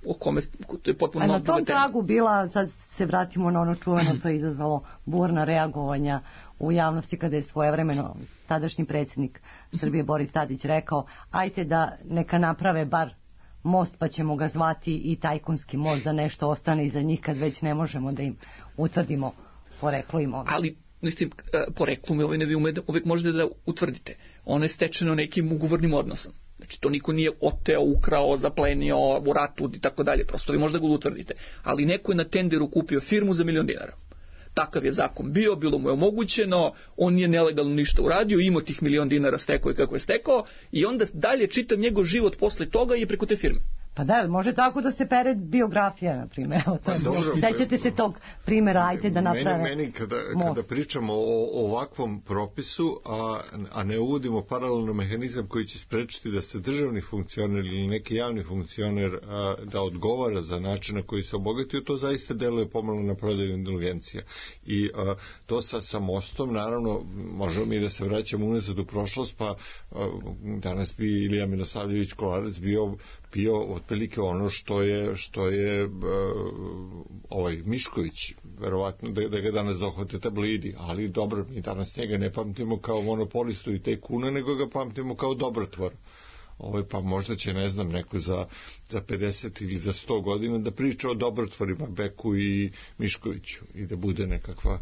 Speaker 5: o kome to je potpuno
Speaker 3: na tom tragu bila, sad se vratimo na ono čuveno, to je izazvalo burna reagovanja u javnosti kada je svojevremeno tadašnji predsjednik Srbije Boris Tadić rekao, ajte da neka naprave bar most pa ćemo ga zvati i tajkunski most, da nešto ostane iza njih kad već ne možemo da im utvrdimo poreklo imovine.
Speaker 5: Ali mislim, poreklo imovine vi uvijek možete da utvrdite. Ono je stečeno nekim ugovornim odnosom. Znači to niko nije oteo, ukrao, zaplenio u ratu i tako dalje. Prosto vi možda ga utvrdite. Ali neko je na tenderu kupio firmu za milion dinara. Takav je zakon bio, bilo mu je omogućeno, on nije nelegalno ništa uradio, imao tih milion dinara, stekao i kako je stekao i onda dalje čitav njegov život posle toga je preko te firme.
Speaker 3: Pa da, može tako da se pere biografija, na primjer. Sećate se tog primjera, ajte da naprave
Speaker 4: Meni, meni kada, kada pričamo o, o ovakvom propisu, a, a ne uvodimo paralelno mehanizam koji će sprečiti da se državni funkcioner ili neki javni funkcioner a, da odgovara za način na koji se obogatio, to zaista deluje pomalo na prodaju indulgencija. I a, to sa, sa mostom, naravno, možemo mi da se vraćamo unazad u prošlost, pa a, danas bi Ilija Milosavljević Kolarac bio bio otprilike ono što je što je uh, ovaj Mišković, verovatno da, da ga danas dohvate tablidi, ali dobro, mi danas njega ne pamtimo kao monopolistu i tajkuna, nego ga pamtimo kao dobrotvor. Ovaj, pa možda će, ne znam, neko za, za pedeset ili za sto godina da priča o dobrotvorima Beku i Miškoviću i da bude nekakva,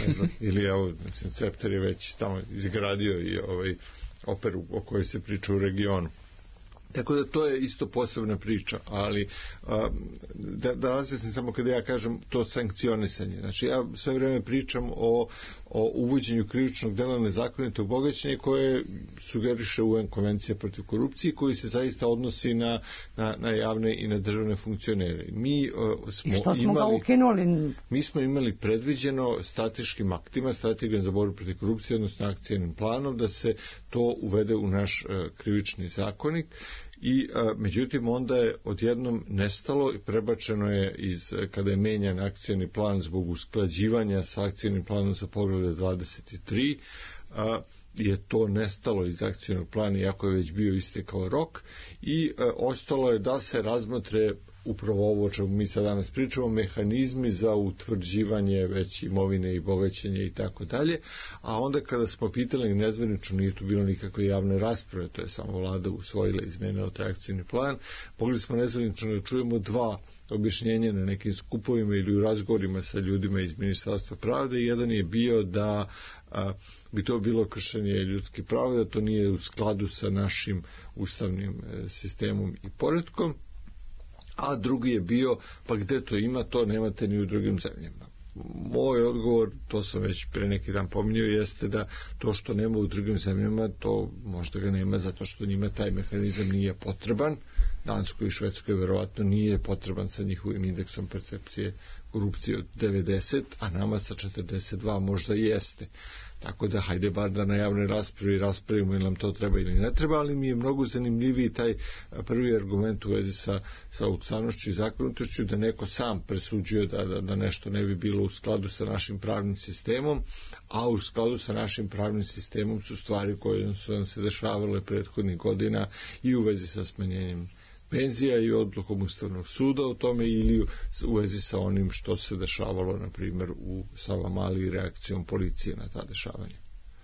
Speaker 4: ne znam, ili evo, mislim, Cepter je već tamo izgradio i ovaj operu o kojoj se priča u regionu. Tako da to je isto posebna priča, ali a, da, da razjasnim samo kada ja kažem to sankcionisanje. Znači ja sve vrijeme pričam o, o uvođenju krivičnog dela nezakonitog bogaćenja koje sugeriše U N konvencija protiv korupcije, koji se zaista odnosi na, na, na javne i na državne funkcionere. Mi uh, smo,
Speaker 3: što smo
Speaker 4: imali,
Speaker 3: ga ukinuli?
Speaker 4: Mi smo imali predviđeno strateškim aktima, strategijom za borbu protiv korupcije, odnosno akcijnim planom, da se to uvede u naš uh, krivični zakonik. I a, međutim onda je odjednom nestalo i prebačeno je iz, kada je menjan akcijni plan zbog usklađivanja sa akcijnim planom za poglavlje dvadeset tri, a, je to nestalo iz akcijnog plana iako je već bio istekao rok i a, ostalo je da se razmotre upravo ovo o čemu mi sad danas pričamo, mehanizmi za utvrđivanje već imovine i bogaćenja i tako dalje, a onda kada smo pitali nezvanično, nije tu bilo nikakve javne rasprave, to je samo vlada usvojila i izmenila taj akcijni plan, mogli smo nezvanično da čujemo dva objašnjenja na nekim skupovima ili u razgovorima sa ljudima iz Ministarstva pravde. Jedan je bio da a, bi to bilo kršenje ljudskih prava, da to nije u skladu sa našim ustavnim e, sistemom i poretkom, a drugi je bio, pa gde to ima, to nemate ni u drugim zemljama. moj odgovor, to sam već pre neki dan pominjao, jeste da to što nema u drugim zemljama, to možda ga nema zato što njima taj mehanizam nije potreban. Danskoj i Švedskoj verovatno nije potreban sa njihovim indeksom percepcije korupcije od devedeset, a nama sa četrdeset dva možda jeste. Tako da hajde bar da na javnoj raspravi raspravimo ili nam to treba ili ne treba, ali mi je mnogo zanimljiviji taj prvi argument u vezi sa, sa ustavnošću i zakonitošću, da neko sam presuđuje da, da, da nešto ne bi bilo u skladu sa našim pravnim sistemom, a u skladu sa našim pravnim sistemom su stvari koje su nam se dešavale prethodnih godina i u vezi sa smanjenjem penzija i odlukom Ustavnog suda o tome ili u vezi sa onim što se dešavalo, na primjer, u Savamali i reakcijom policije na ta dešavanja.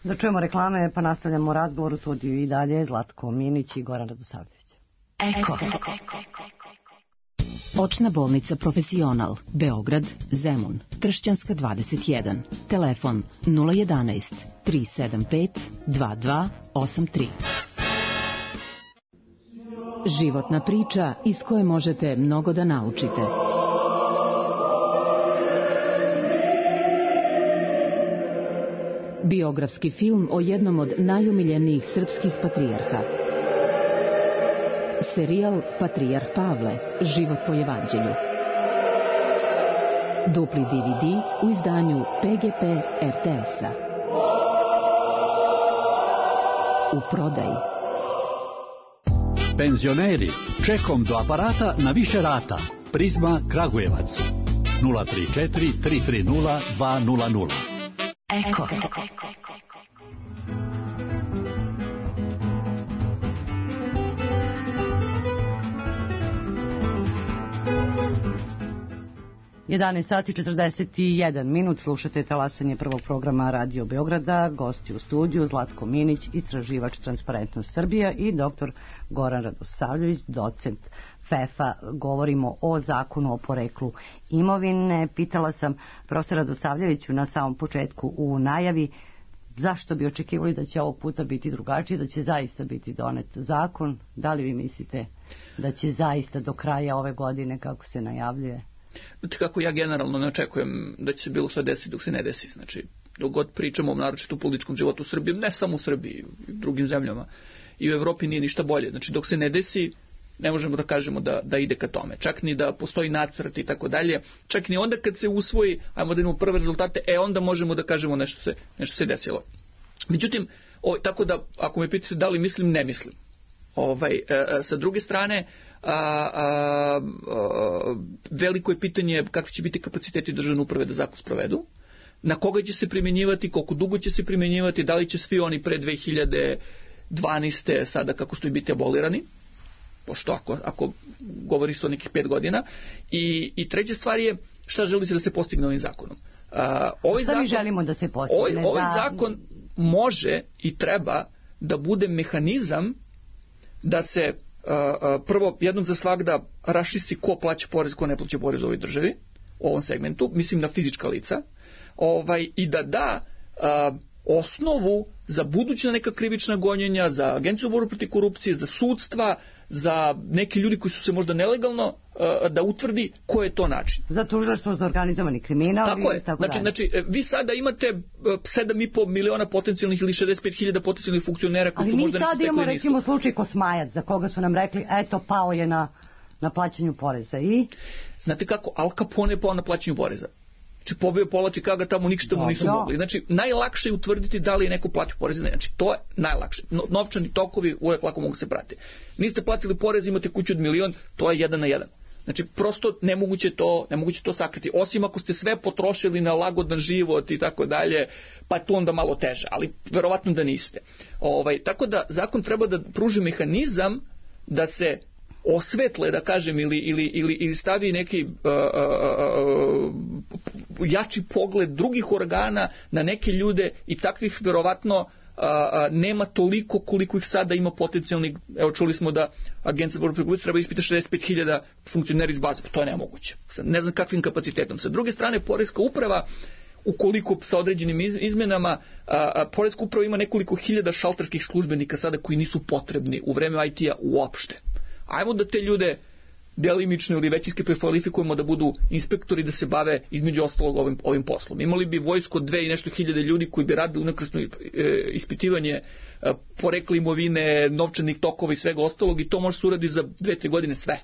Speaker 3: Da čujemo reklame, pa nastavljamo razgovor u studiju i dalje. Zlatko Minić i Goran Radosavljević.
Speaker 6: Eko. Očna bolnica Profesional, Beograd, Zemun, Tršćanska dvadeset jedan. Telefon nula jedanaest tri sedam pet dva dva osam tri. Životna priča iz koje možete mnogo da naučite. Biografski film o jednom od najomiljenijih srpskih patrijarha. Serijal Patrijarh Pavle, život po evanđelju. Dupli D V D u izdanju P G P R T S-a. U prodaji.
Speaker 7: Penzioneri, čekom do aparata na više rata. Prizma Kragujevac. nula tri četiri tri tri nula dva nula nula.
Speaker 6: Eko.
Speaker 3: jedanaest sati četrdeset jedan minut, slušate talasanje prvog programa Radio Beograda, gosti u studiju Zlatko Minić, istraživač Transparentnost Srbija i doktor Goran Radosavljević, docent F E F a. Govorimo o zakonu o poreklu imovine. Pitala sam profesora Radosavljeviću na samom početku u najavi zašto bi očekivali da će ovog puta biti drugačije, da će zaista biti donet zakon. Da li vi mislite da će zaista do kraja ove godine, kako se najavljuje?
Speaker 5: Znate kako, ja generalno ne očekujem da će se bilo što desiti dok se ne desi. Znači, dok god pričamo o naročito političkom životu u Srbiji, ne samo u Srbiji, i u drugim zemljama, i u Evropi nije ništa bolje. Znači, dok se ne desi, ne možemo da kažemo da, da ide ka tome. Čak ni da postoji nacrt i tako dalje. Čak ni onda kad se usvoji, ajmo da imamo prve rezultate, e onda možemo da kažemo nešto se, nešto se desilo. Međutim, o, tako da, ako me pitate da li mislim, ne mislim. Ovaj, e, sa druge strane, A, a, a, veliko je pitanje kakvi će biti kapaciteti državne uprave da zakon sprovedu, na koga će se primjenjivati, koliko dugo će se primjenjivati, da li će svi oni pre dve hiljade dvanaeste sada kako stoji biti abolirani, pošto ako, ako govori se o nekih pet godina. I, i treća stvar je šta želi se da se postigne ovim zakonom. A, ovaj
Speaker 3: šta
Speaker 5: zakon,
Speaker 3: mi želimo da se postigne?
Speaker 5: Ovaj, ovaj
Speaker 3: da...
Speaker 5: zakon može i treba da bude mehanizam da se Uh, prvo, jednom za svagda rašisti ko plaća porez, ko ne plaća porez u ovoj državi, u ovom segmentu, mislim na fizička lica, ovaj, i da da uh, osnovu za buduća neka krivična gonjenja, za Agenciju za borbu protiv korupcije, za sudstva, za neki ljudi koji su se možda nelegalno uh, da utvrdi ko je to način.
Speaker 3: Za tužilaštvo za organizovani kriminal.
Speaker 5: Tako je.
Speaker 3: Tako
Speaker 5: znači, znači, vi sada imate sedam i po miliona potencijalnih ili šezdeset pet hiljada potencijalnih funkcionera koji su možda nešto stekli.
Speaker 3: Ali mi sad imamo recimo slučaj Kosmajac, za koga su nam rekli, eto, pao je na, na plaćanju poreza. I?
Speaker 5: Znate kako, Al Capone je pao na plaćanju poreza. Znači, pobio pola Čikaga, tamo ništa mu nisu mogli. Znači, najlakše je utvrditi da li je neko platio porez. Znači, to je najlakše. No, novčani tokovi uvek lako mogu se pratiti. Niste platili porez, imate kuću od milion, to je jedan na jedan. Znači, prosto nemoguće to, nemoguće to sakriti. Osim ako ste sve potrošili na lagodan život i tako dalje, pa je to onda malo teže. Ali, verovatno da niste. Ovaj, tako da, zakon treba da pruži mehanizam da se osvetle, da kažem, ili, ili, ili, ili stavi neki uh, uh, uh, jači pogled drugih organa na neke ljude i takvih verovatno uh, uh, nema toliko koliko ih sada ima potencijalnih. Evo, čuli smo da Agencija za borbu protiv korupcije treba ispita šezdeset pet hiljada funkcionera iz baze, to je nemoguće. Ne znam kakvim kapacitetom. Sa druge strane, Poreska uprava, ukoliko sa određenim izmenama, a, Poreska uprava ima nekoliko hiljada šalterskih službenika sada koji nisu potrebni u vreme I T-a uopšte. Ajmo da te ljude delimično ili većinski prekvalifikujemo da budu inspektori, da se bave između ostalog ovim, ovim poslom. Imali bi vojsko dve i nešto hiljade ljudi koji bi radili unakrsno ispitivanje porekla imovine, novčanih tokova i svega ostalog, i to može se uradi za dve, tri godine sve.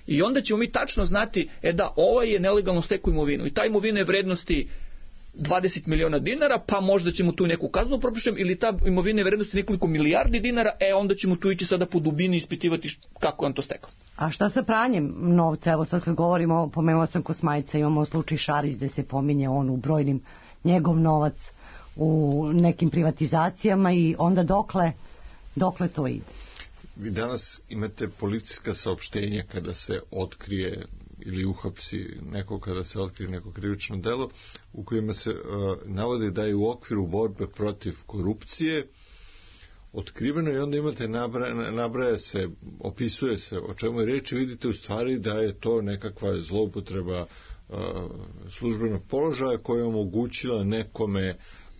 Speaker 5: I onda ćemo mi tačno znati, e da, ovaj je nelegalno stekao imovinu i ta imovina je vrednosti dvadeset miliona dinara, pa možda ćemo tu neku kaznu propišem, ili ta imovina je vrednosti nekoliko milijardi dinara, e onda ćemo tu ići sada po dubini i ispitivati kako je on to stekao.
Speaker 3: A šta sa pranjem novca? Evo sad kad govorimo, pomenula sam Kosmajca, imamo slučaj Šarić gde se pominje on u brojnim njegov novac u nekim privatizacijama, i onda dokle, dokle to ide?
Speaker 4: Vi danas imate policijska saopštenja kada se otkrije ili uhapsi neko, kada se otkrije neko krivično delo, u kojima se uh, navode da je u okviru borbe protiv korupcije otkriveno, i onda imate nabraja, nabraja se, opisuje se o čemu je reč, i vidite u stvari da je to nekakva zloupotreba uh, službenog položaja koja je omogućila nekome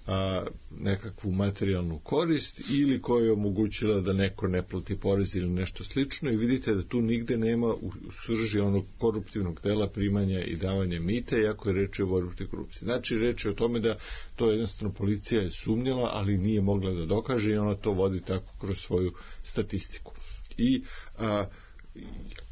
Speaker 4: a, nekakvu materijalnu korist, ili koja je omogućila da neko ne plati porez ili nešto slično, i vidite da tu nigde nema u srži onog koruptivnog dela primanja i davanja mita, iako je reč o borbi protiv korupcije. Znači, reč je o tome da to jednostavno policija je sumnjala, ali nije mogla da dokaže, i ona to vodi tako kroz svoju statistiku. I a,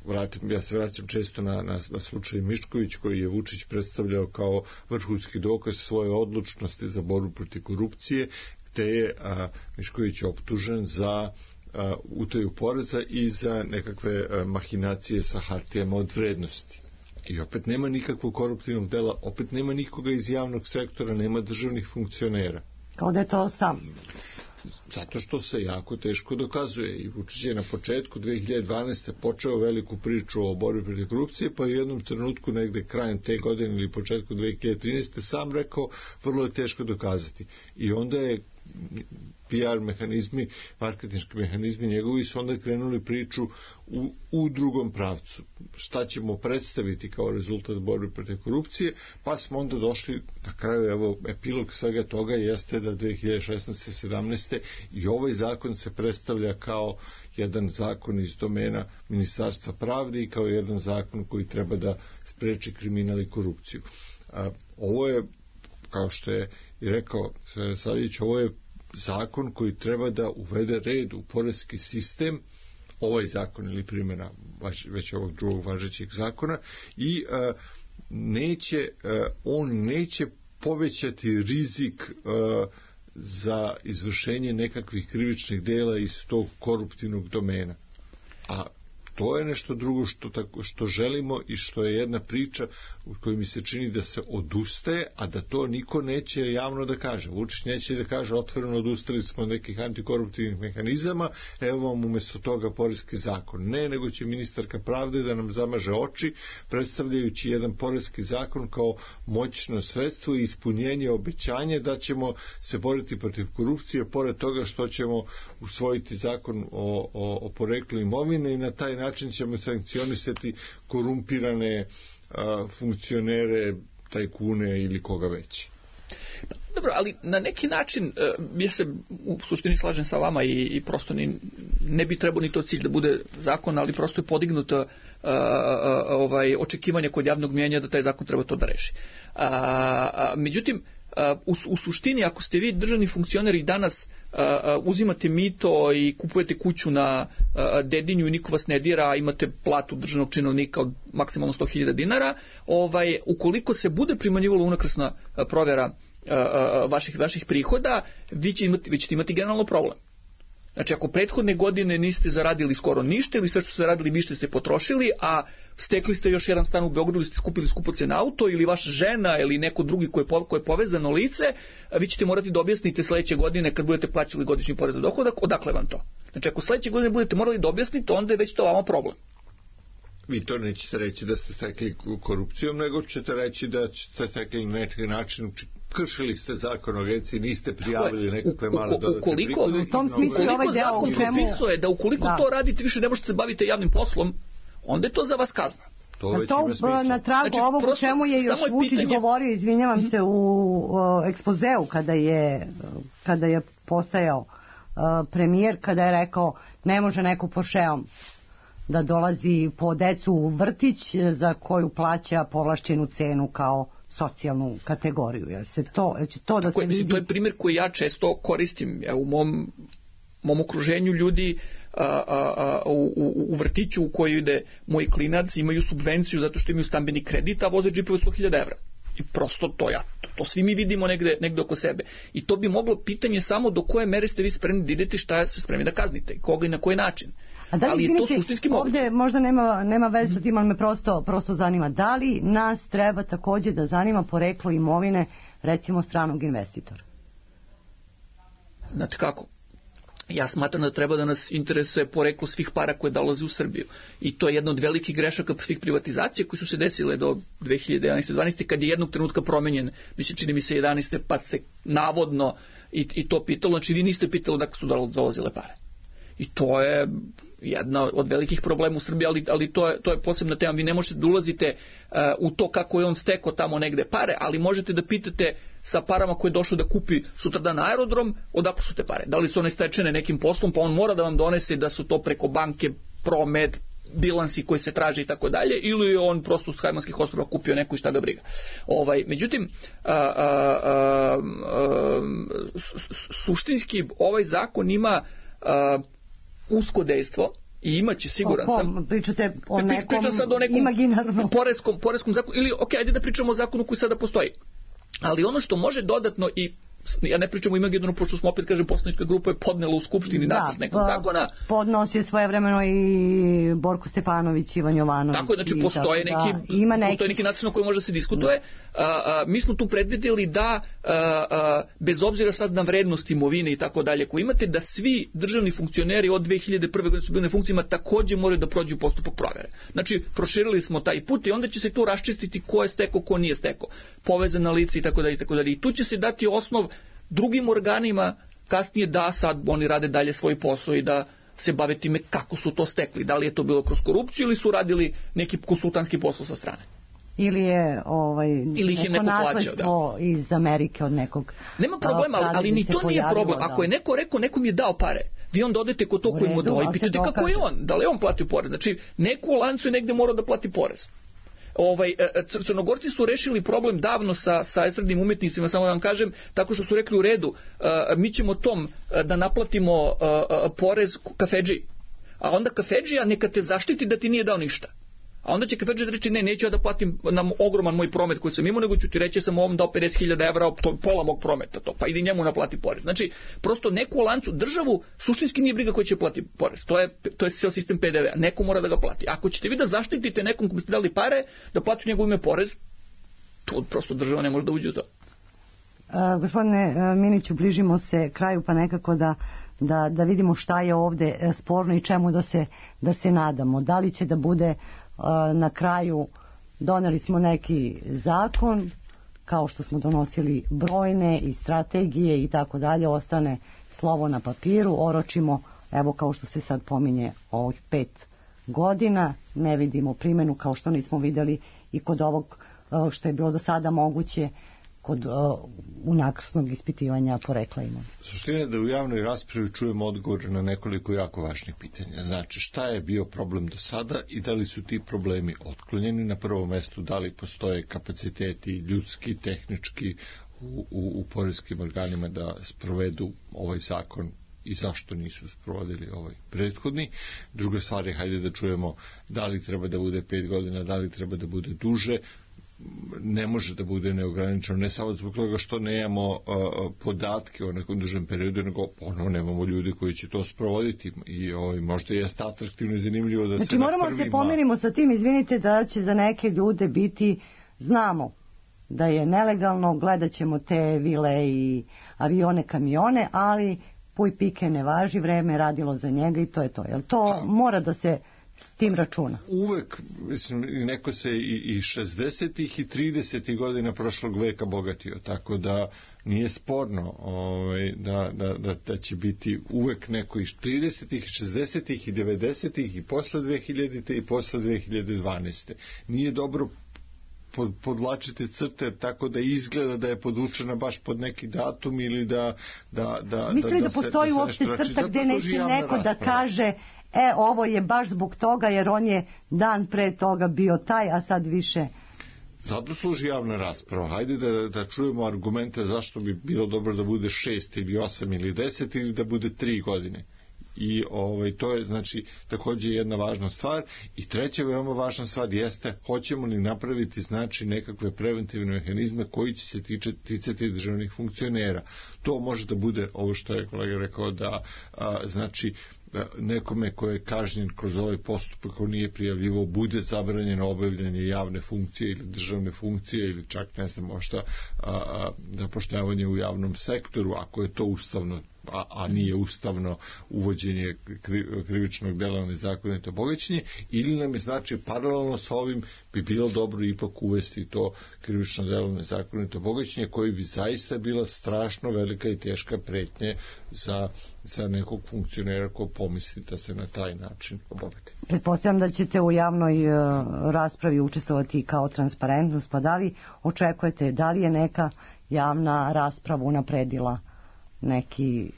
Speaker 4: Vratim, ja se vraćam često na, na, na slučaj Mišković, koji je Vučić predstavljao kao vrhunski dokaz svoje odlučnosti za borbu protiv korupcije, gde je a, Mišković optužen za a, utaju poreza i za nekakve a, mahinacije sa hartijama od vrednosti. I opet nema nikakvog koruptivnog dela, opet nema nikoga iz javnog sektora, nema državnih funkcionera.
Speaker 3: Kao da je to sam.
Speaker 4: Zato što se jako teško dokazuje, i Vučić je na početku dve hiljade dvanaeste. počeo veliku priču o borbi protiv korupcije, pa u jednom trenutku negde krajem te godine ili početku dve hiljade trinaeste. sam rekao vrlo je teško dokazati. I onda je P R mehanizmi, marketinški mehanizmi njegovi su onda krenuli priču u, u drugom pravcu. Šta ćemo predstaviti kao rezultat borbe protiv korupcije, pa smo onda došli na kraju, evo, epilog svega toga jeste da dve hiljade šesnaeste. sedamnaeste. i ovaj zakon se predstavlja kao jedan zakon iz domena Ministarstva pravde i kao jedan zakon koji treba da spreči kriminal i korupciju. A, ovo je, kao što je i rekao Sverre Savljević, ovo je zakon koji treba da uvede red u poreski sistem, ovaj zakon ili primjena već ovog drugog važećeg zakona, i a, neće, a, on neće povećati rizik a, za izvršenje nekakvih krivičnih dela iz tog koruptivnog domena. A to je nešto drugo što, tako, što želimo i što je jedna priča u kojoj mi se čini da se odustaje, a da to niko neće javno da kaže. Vučić neće da kaže otvoreno odustali smo od nekih antikoruptivnih mehanizama, evo vam umjesto toga poreski zakon. Ne, nego će ministarka pravde da nam zamaže oči, predstavljajući jedan poreski zakon kao moćno sredstvo i ispunjenje obećanja da ćemo se boriti protiv korupcije, pored toga što ćemo usvojiti zakon o, o, o poreklu imovine, i na taj način ćemo sankcionisati korumpirane a, funkcionere, tajkune ili koga već.
Speaker 5: Dobro, ali na neki način ja se u suštini slažem sa vama i, i prosto ni, ne bi trebao ni to cilj da bude zakon, ali prosto je podignuto ovaj, očekivanje kod javnog mnijenja da taj zakon treba to da reši. A, a, međutim, U, u suštini, ako ste vi državni funkcioneri i danas uh, uzimate mito i kupujete kuću na uh, Dedinju i niko vas ne dira, a imate platu državnog činovnika od maksimalno sto hiljada dinara, ovaj, ukoliko se bude primanjivalo unakrsna uh, provjera uh, uh, vaših, vaših prihoda, vi ćete imati, vi ćete imati generalno problem. Znači, ako prethodne godine niste zaradili skoro ništa ili sve što ste zaradili više ste potrošili, a stekli ste još jedan stan u Beogradu ili ste skupili skupocen auto, ili vaša žena ili neko drugi koje je, koje je povezano lice, vi ćete morati da objasnite sledeće godine kad budete plaćali godišnji porez na dohodak, odakle vam to. Znači, ako sledeće godine budete morali da objasnite, onda je već to vama problem.
Speaker 4: Vi to nećete reći da ste stekli korupcijom, nego ćete reći da ste stekli na neki način, kršili ste zakon o agenciji, niste prijavili nekakve male dodatne prihode.
Speaker 3: U tom smislu ovaj deo
Speaker 5: zakon propisuje da ukoliko da. to radite više ne možete se baviti javnim poslom, onda je to za vas kazna.
Speaker 3: To, već to ima na tragu znači, ovog o čemu je još Vučić pitanje... govorio, izvinjavam mm-hmm. se, u o, ekspozeu kada je, kada je postajao uh, premijer, kada je rekao ne može neko Porscheom da dolazi po decu u vrtić za koju plaća povlašćenu cenu kao socijalnu kategoriju. Jel se to, jel će to da
Speaker 5: Tako,
Speaker 3: se
Speaker 5: mislim,
Speaker 3: vidi?
Speaker 5: to je primjer koji ja često koristim. Ja, u mom, mom okruženju ljudi a, a, a, u, u, u vrtiću u koji ide moj klinac imaju subvenciju zato što imaju stambeni kredit, a voze džipove sto hiljada evra. I prosto to ja, to, to svi mi vidimo negde, negde oko sebe. I to bi moglo pitanje samo do koje mere ste vi spremni da idete, šta ste spremni da kaznite, i koga i na koji način.
Speaker 3: A da li,
Speaker 5: ali je to suštinski moguće.
Speaker 3: Ovde možda nema, nema veze sa tim, ali me prosto, prosto zanima. Da li nas treba takođe da zanima poreklo imovine, recimo stranog investitora?
Speaker 5: Znate kako? Ja smatram da treba da nas interesuje poreklo svih para koje dolaze u Srbiju. I to je jedna od velikih grešaka svih privatizacija koje su se desile do dve hiljade jedanaeste dvanaeste kad je jednog trenutka promenjen, mislim čini mi se jedanaeste pa se navodno i, i to pitalo, znači vi niste pitali da su dolazile pare. I to je jedna od velikih problema u Srbiji, ali, ali to, je, to je posebna tema. Vi ne možete da ulazite uh, u to kako je on stekao tamo negde pare, ali možete da pitate sa parama koje je došao da kupi sutradan aerodrom, odakle su te pare. Da li su one stečene nekim poslom, pa on mora da vam donese da su to preko banke, promet, bilansi koji se traže i tako dalje, ili je on prosto s Hajmanskih ostrva kupio neku i šta ga briga. Ovaj, međutim, a, a, a, a, suštinski ovaj zakon ima a, usko dejstvo i imaće, siguran
Speaker 3: o,
Speaker 5: sam.
Speaker 3: Pričate o nekom
Speaker 5: pričam sad o nekom
Speaker 3: imaginarnom
Speaker 5: poreskom, poreskom zakonu, ili ok, ajde da pričamo o zakonu koji sada postoji. Ali ono što može dodatno, i ja ne pričam o imaginarnom, pošto smo opet, kažem, poslanička grupa je podnela u Skupštini
Speaker 3: da,
Speaker 5: nacrt nekog zakona.
Speaker 3: Podnosio je svojevremeno i Borko Stefanović, Ivan Jovanović.
Speaker 5: Tako, znači postoje neki,
Speaker 3: ima neki...
Speaker 5: postoje neki način na koji može da se diskutuje. A, a, mi smo tu predvidjeli da a, a, bez obzira sad na vrednost imovine i tako dalje koji imate, da svi državni funkcioneri od dve hiljade prve godine su bili na funkcijama takođe moraju da prođu postupak provere. Znači proširili smo taj put i onda će se tu raščistiti ko je stekao, ko nije stekao, povezana lica i tako dalje i tako dalje. I tu će se dati osnov drugim organima kasnije da sad oni rade dalje svoj posao i da se bave time kako su to stekli. Da li je to bilo kroz korupciju ili su radili neki konsultantski posao sa strane.
Speaker 3: Ili je ovaj,
Speaker 5: ili ih je neko plaćao, da.
Speaker 3: Iz Amerike od nekog.
Speaker 5: Nema problema, ali, ali ni to nije problem. Ako je neko rekao, nekom je dao pare, vi onda odete kod to koji mu dao i pitate kako je on, da li on platio porez. Znači, neko u lancu je negde morao da plati porez. Ovaj, Crnogorci su rešili problem davno sa, sa estradnim umetnicima, samo da vam kažem, tako što su rekli u redu, mi ćemo tom da naplatimo porez kafedži. A onda kafedžija neka te zaštiti da ti nije dao ništa. A onda će kafedžija da reći, ne, neću ja da platim na ogroman moj promet koji sam imao, nego ću ti reći, sam ovom dao pedeset hiljada evra, to pola mog prometa, to, pa idi njemu naplati porez. Znači, prosto neku u lancu, državu, suštinski nije briga koji će plati porez. To je, to je ceo sistem pe de ve a, neko mora da ga plati. Ako ćete vi da zaštitite nekom ko biste dali pare, da plati njegov ime porez, to prosto država ne može da uđe u to.
Speaker 3: Uh, gospodine uh, Miniću, bližimo se kraju, pa nekako da Da, da vidimo šta je ovde sporno i čemu da se, da se nadamo. Da li će da bude uh, na kraju, doneli smo neki zakon, kao što smo donosili brojne i strategije i tako dalje, ostane slovo na papiru, oročimo, evo kao što se sad pominje, ovih pet godina, ne vidimo primjenu kao što nismo videli i kod ovog uh, što je bilo do sada moguće kod uh, unakrsnog ispitivanja porekla imovine.
Speaker 4: Suština je da u javnoj raspravi čujemo odgovor na nekoliko jako važnih pitanja. Znači, šta je bio problem do sada i da li su ti problemi otklonjeni? Na prvom mestu, da li postoje kapaciteti ljudski, tehnički u, u, u poreskim organima da sprovedu ovaj zakon i zašto nisu sprovodili ovaj prethodni. Druga stvar je, hajde da čujemo da li treba da bude pet godina, da li treba da bude duže. Ne može da bude neograničeno, ne samo zbog toga što nemamo uh, podatke o nekom dužem periodu, nego ono, nemamo ljudi koji će to sprovoditi i ovaj, možda je atraktivno i zanimljivo da
Speaker 3: znači,
Speaker 4: se
Speaker 3: moramo
Speaker 4: na prvima...
Speaker 3: se pomirimo sa tim, izvinite, da će za neke ljude biti, znamo da je nelegalno, gledat ćemo te vile i avione, kamione, ali puj pike ne važi, vreme je radilo za njega i to je to. Jel to ha. mora da se s tim računa?
Speaker 4: Uvek, mislim, neko se i, i šezdesetih i tridesetih godina prošlog veka bogatio, tako da nije sporno ovaj, da, da, da, da će biti uvek neko iz tridesetih, šezdesetih i devedesetih i posle dve hiljadite i posle dve hiljade dvanaeste. Nije dobro pod, podlačite crte tako da izgleda da je podvučena baš pod neki datum ili da... da, da
Speaker 3: Mislili da, da, da postoji
Speaker 4: se, da
Speaker 3: uopšte crta gde neće neko
Speaker 4: rasprava.
Speaker 3: da kaže e, ovo je baš zbog toga jer on je dan pre toga bio taj, a sad više...
Speaker 4: Zato služi javna rasprava. Hajde da, da čujemo argumente zašto bi bilo dobro da bude šest ili osam ili deset ili da bude tri godine. I ovaj, to je znači takođe jedna važna stvar. I treća veoma važna stvar jeste hoćemo li napraviti znači nekakve preventivne mehanizme koji će se tiče, ticati državnih funkcionera. To može da bude ovo što je kolega rekao da a, znači nekome ko je kažnjen kroz ovaj postupak ko nije prijavljivao bude zabranjeno obavljanje javne funkcije ili državne funkcije ili čak ne znam možda zapošljavanje u javnom sektoru ako je to ustavno a, a nije ustavno uvođenje kri, krivičnog dela nezakonito bogaćenje ili nam je znači paralelno sa ovim bi bilo dobro ipak uvesti to krivično delo nezakonito bogaćenje koji bi zaista bila strašno velika i teška pretnje za, za nekog funkcionera ko pomisli da se na taj način obogati.
Speaker 3: Pretpostavljam da ćete u javnoj uh, raspravi učestvovati kao transparentnost, pa da li očekujete, da li je neka javna rasprava unapredila neki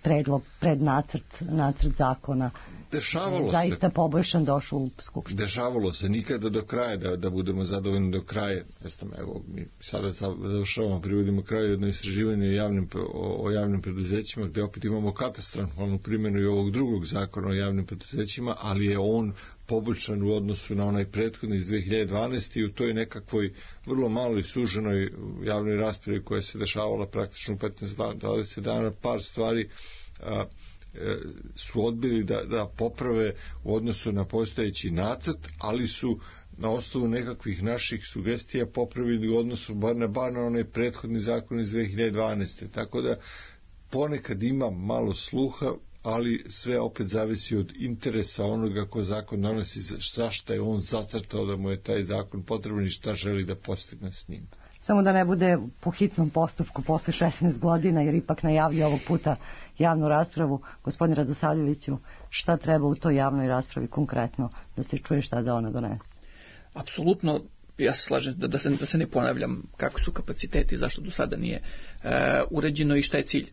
Speaker 3: predlog, prednacrt, nacrt zakona
Speaker 4: dešavalo
Speaker 3: zaista
Speaker 4: se,
Speaker 3: poboljšan došao u skupštinu.
Speaker 4: Dešavalo se, nikada do kraja, da, da budemo zadovoljni do kraja. Ne znam, evo, mi sada završavamo, privodimo kraju jedno istraživanje o javnim, o, o javnim preduzećima, gde opet imamo katastrofalnu primjenu i ovog drugog zakona o javnim preduzećima, ali je on poboljšan u odnosu na onaj prethodni iz dve hiljade dvanaeste. i u toj nekakvoj vrlo maloj suženoj javnoj raspravi koja se dešavala praktično u petnaest do dvadeset dana, par stvari a, su odbili da, da poprave u odnosu na postojeći nacrt, ali su na osnovu nekakvih naših sugestija popravili u odnosu bar na, bar na onaj prethodni zakon iz dve hiljade dvanaeste. Tako da ponekad ima malo sluha, ali sve opet zavisi od interesa onoga ko zakon donosi, zašto je on zacrtao da mu je taj zakon potreban i šta želi da postigne s njim.
Speaker 3: Samo da ne bude po hitnom postupku posle šesnaest godina, jer ipak najavlja ovog puta javnu raspravu. Gospodin Radosavljeviću, šta treba u toj javnoj raspravi konkretno da se čuje šta da ona donese?
Speaker 5: Apsolutno, ja se slažem da, da, se, da se ne ponavljam kakvi su kapaciteti, zašto do sada nije e, uređeno i šta je cilj e,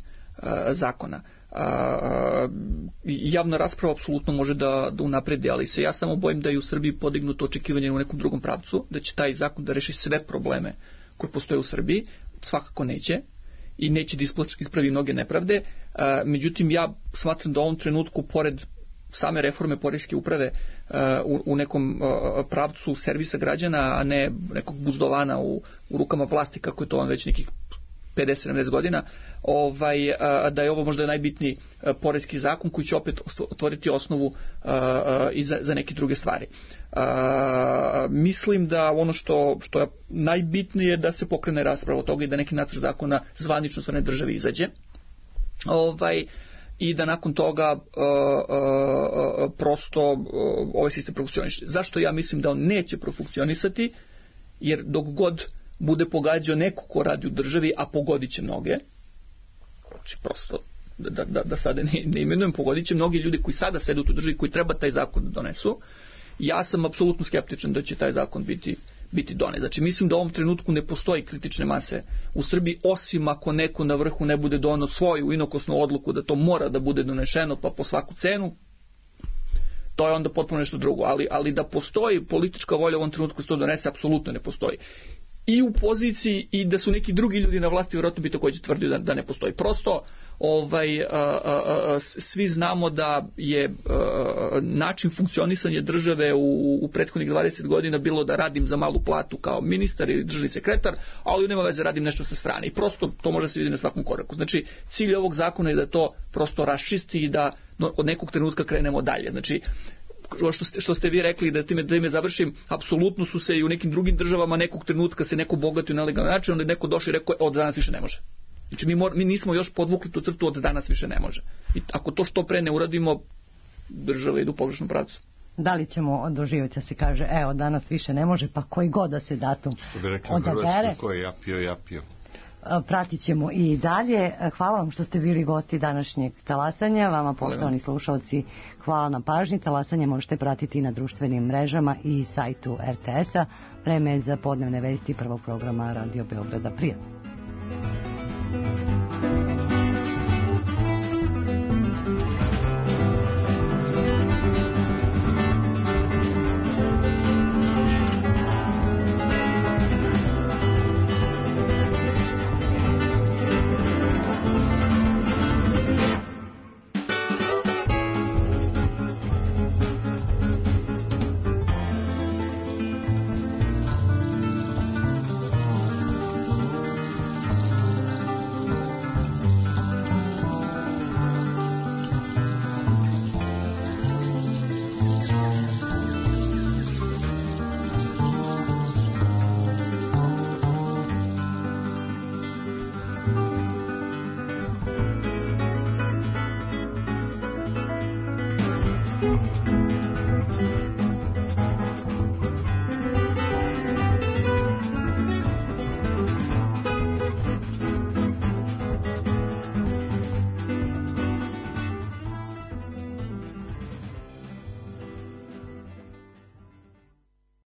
Speaker 5: zakona. A, javna rasprava apsolutno može da, da unapredi, ali se ja samo bojim da je u Srbiji podignuto očekivanje u nekom drugom pravcu, da će taj zakon da reši sve probleme koje postoje u Srbiji. Svakako neće i neće da ispravi mnoge nepravde. A, međutim, ja smatram da u ovom trenutku, pored same reforme poreske uprave a, u, u nekom a, pravcu servisa građana, a ne nekog buzdovana u, u rukama vlasti, kako je to on već nekih pedeset sedamdeset godina, ovaj, a, da je ovo možda najbitniji a, poreski zakon koji će opet otvoriti osnovu a, a, i za, za neke druge stvari. A, mislim da ono što, što je najbitnije da se pokrene rasprava od toga i da neki nacrt zakona zvanično sa ne države izađe. Ovaj, i da nakon toga uh, uh, prosto uh, ovaj sistem profunkcioniše. Zašto ja mislim da on neće profunkcionisati? Jer dok god bude pogađao neko ko radi u državi, a pogodit će mnoge, znači prosto da, da, da sada ne, ne imenujem, pogodit će mnogi ljudi koji sada sede u toj državi, koji treba taj zakon da donesu. Ja sam apsolutno skeptičan da će taj zakon biti, biti donet. Znači mislim da u ovom trenutku ne postoji kritične mase u Srbiji, osim ako neko na vrhu ne bude donio svoju inokosnu odluku da to mora da bude donešeno pa po svaku cenu. To je onda potpuno nešto drugo, ali, ali da postoji politička volja u ovom trenutku se to donese, apsolutno ne postoji. I u poziciji i da su neki drugi ljudi na vlasti, vjerojatno bi također tvrdio da, da ne postoji. Prosto ovaj, a, a, a, svi znamo da je a, način funkcionisanja države u, u prethodnih dvadeset godina bilo da radim za malu platu kao ministar ili državni sekretar, ali nema veze, radim nešto sa strane. I prosto to može se vidjeti na svakom koraku. Znači cilj ovog zakona je da to prosto raščisti i da od nekog trenutka krenemo dalje. Znači Što ste, što ste vi rekli, da time, da time završim, apsolutno su se i u nekim drugim državama nekog trenutka se neko bogatio na legalan način, onda je neko došao i rekao od danas više ne može. Znači mi, mor, mi nismo još podvukli tu crtu, od danas više ne može. I ako to što pre ne uradimo, država ide u pogrešnom pravcu.
Speaker 3: Da li ćemo doživjeti da se kaže, evo danas više ne može, pa koji god da se datum odabere.
Speaker 4: Što bi rekli u Hrvatskoj, ko je japio, japio.
Speaker 3: Pratit ćemo i dalje. Hvala vam što ste bili gosti današnjeg talasanja. Vama, poštovani slušalci, hvala na pažnji. Talasanje možete pratiti na društvenim mrežama i sajtu er te es a. Vreme za podnevne vesti prvog programa Radio Beograda. Prijatno.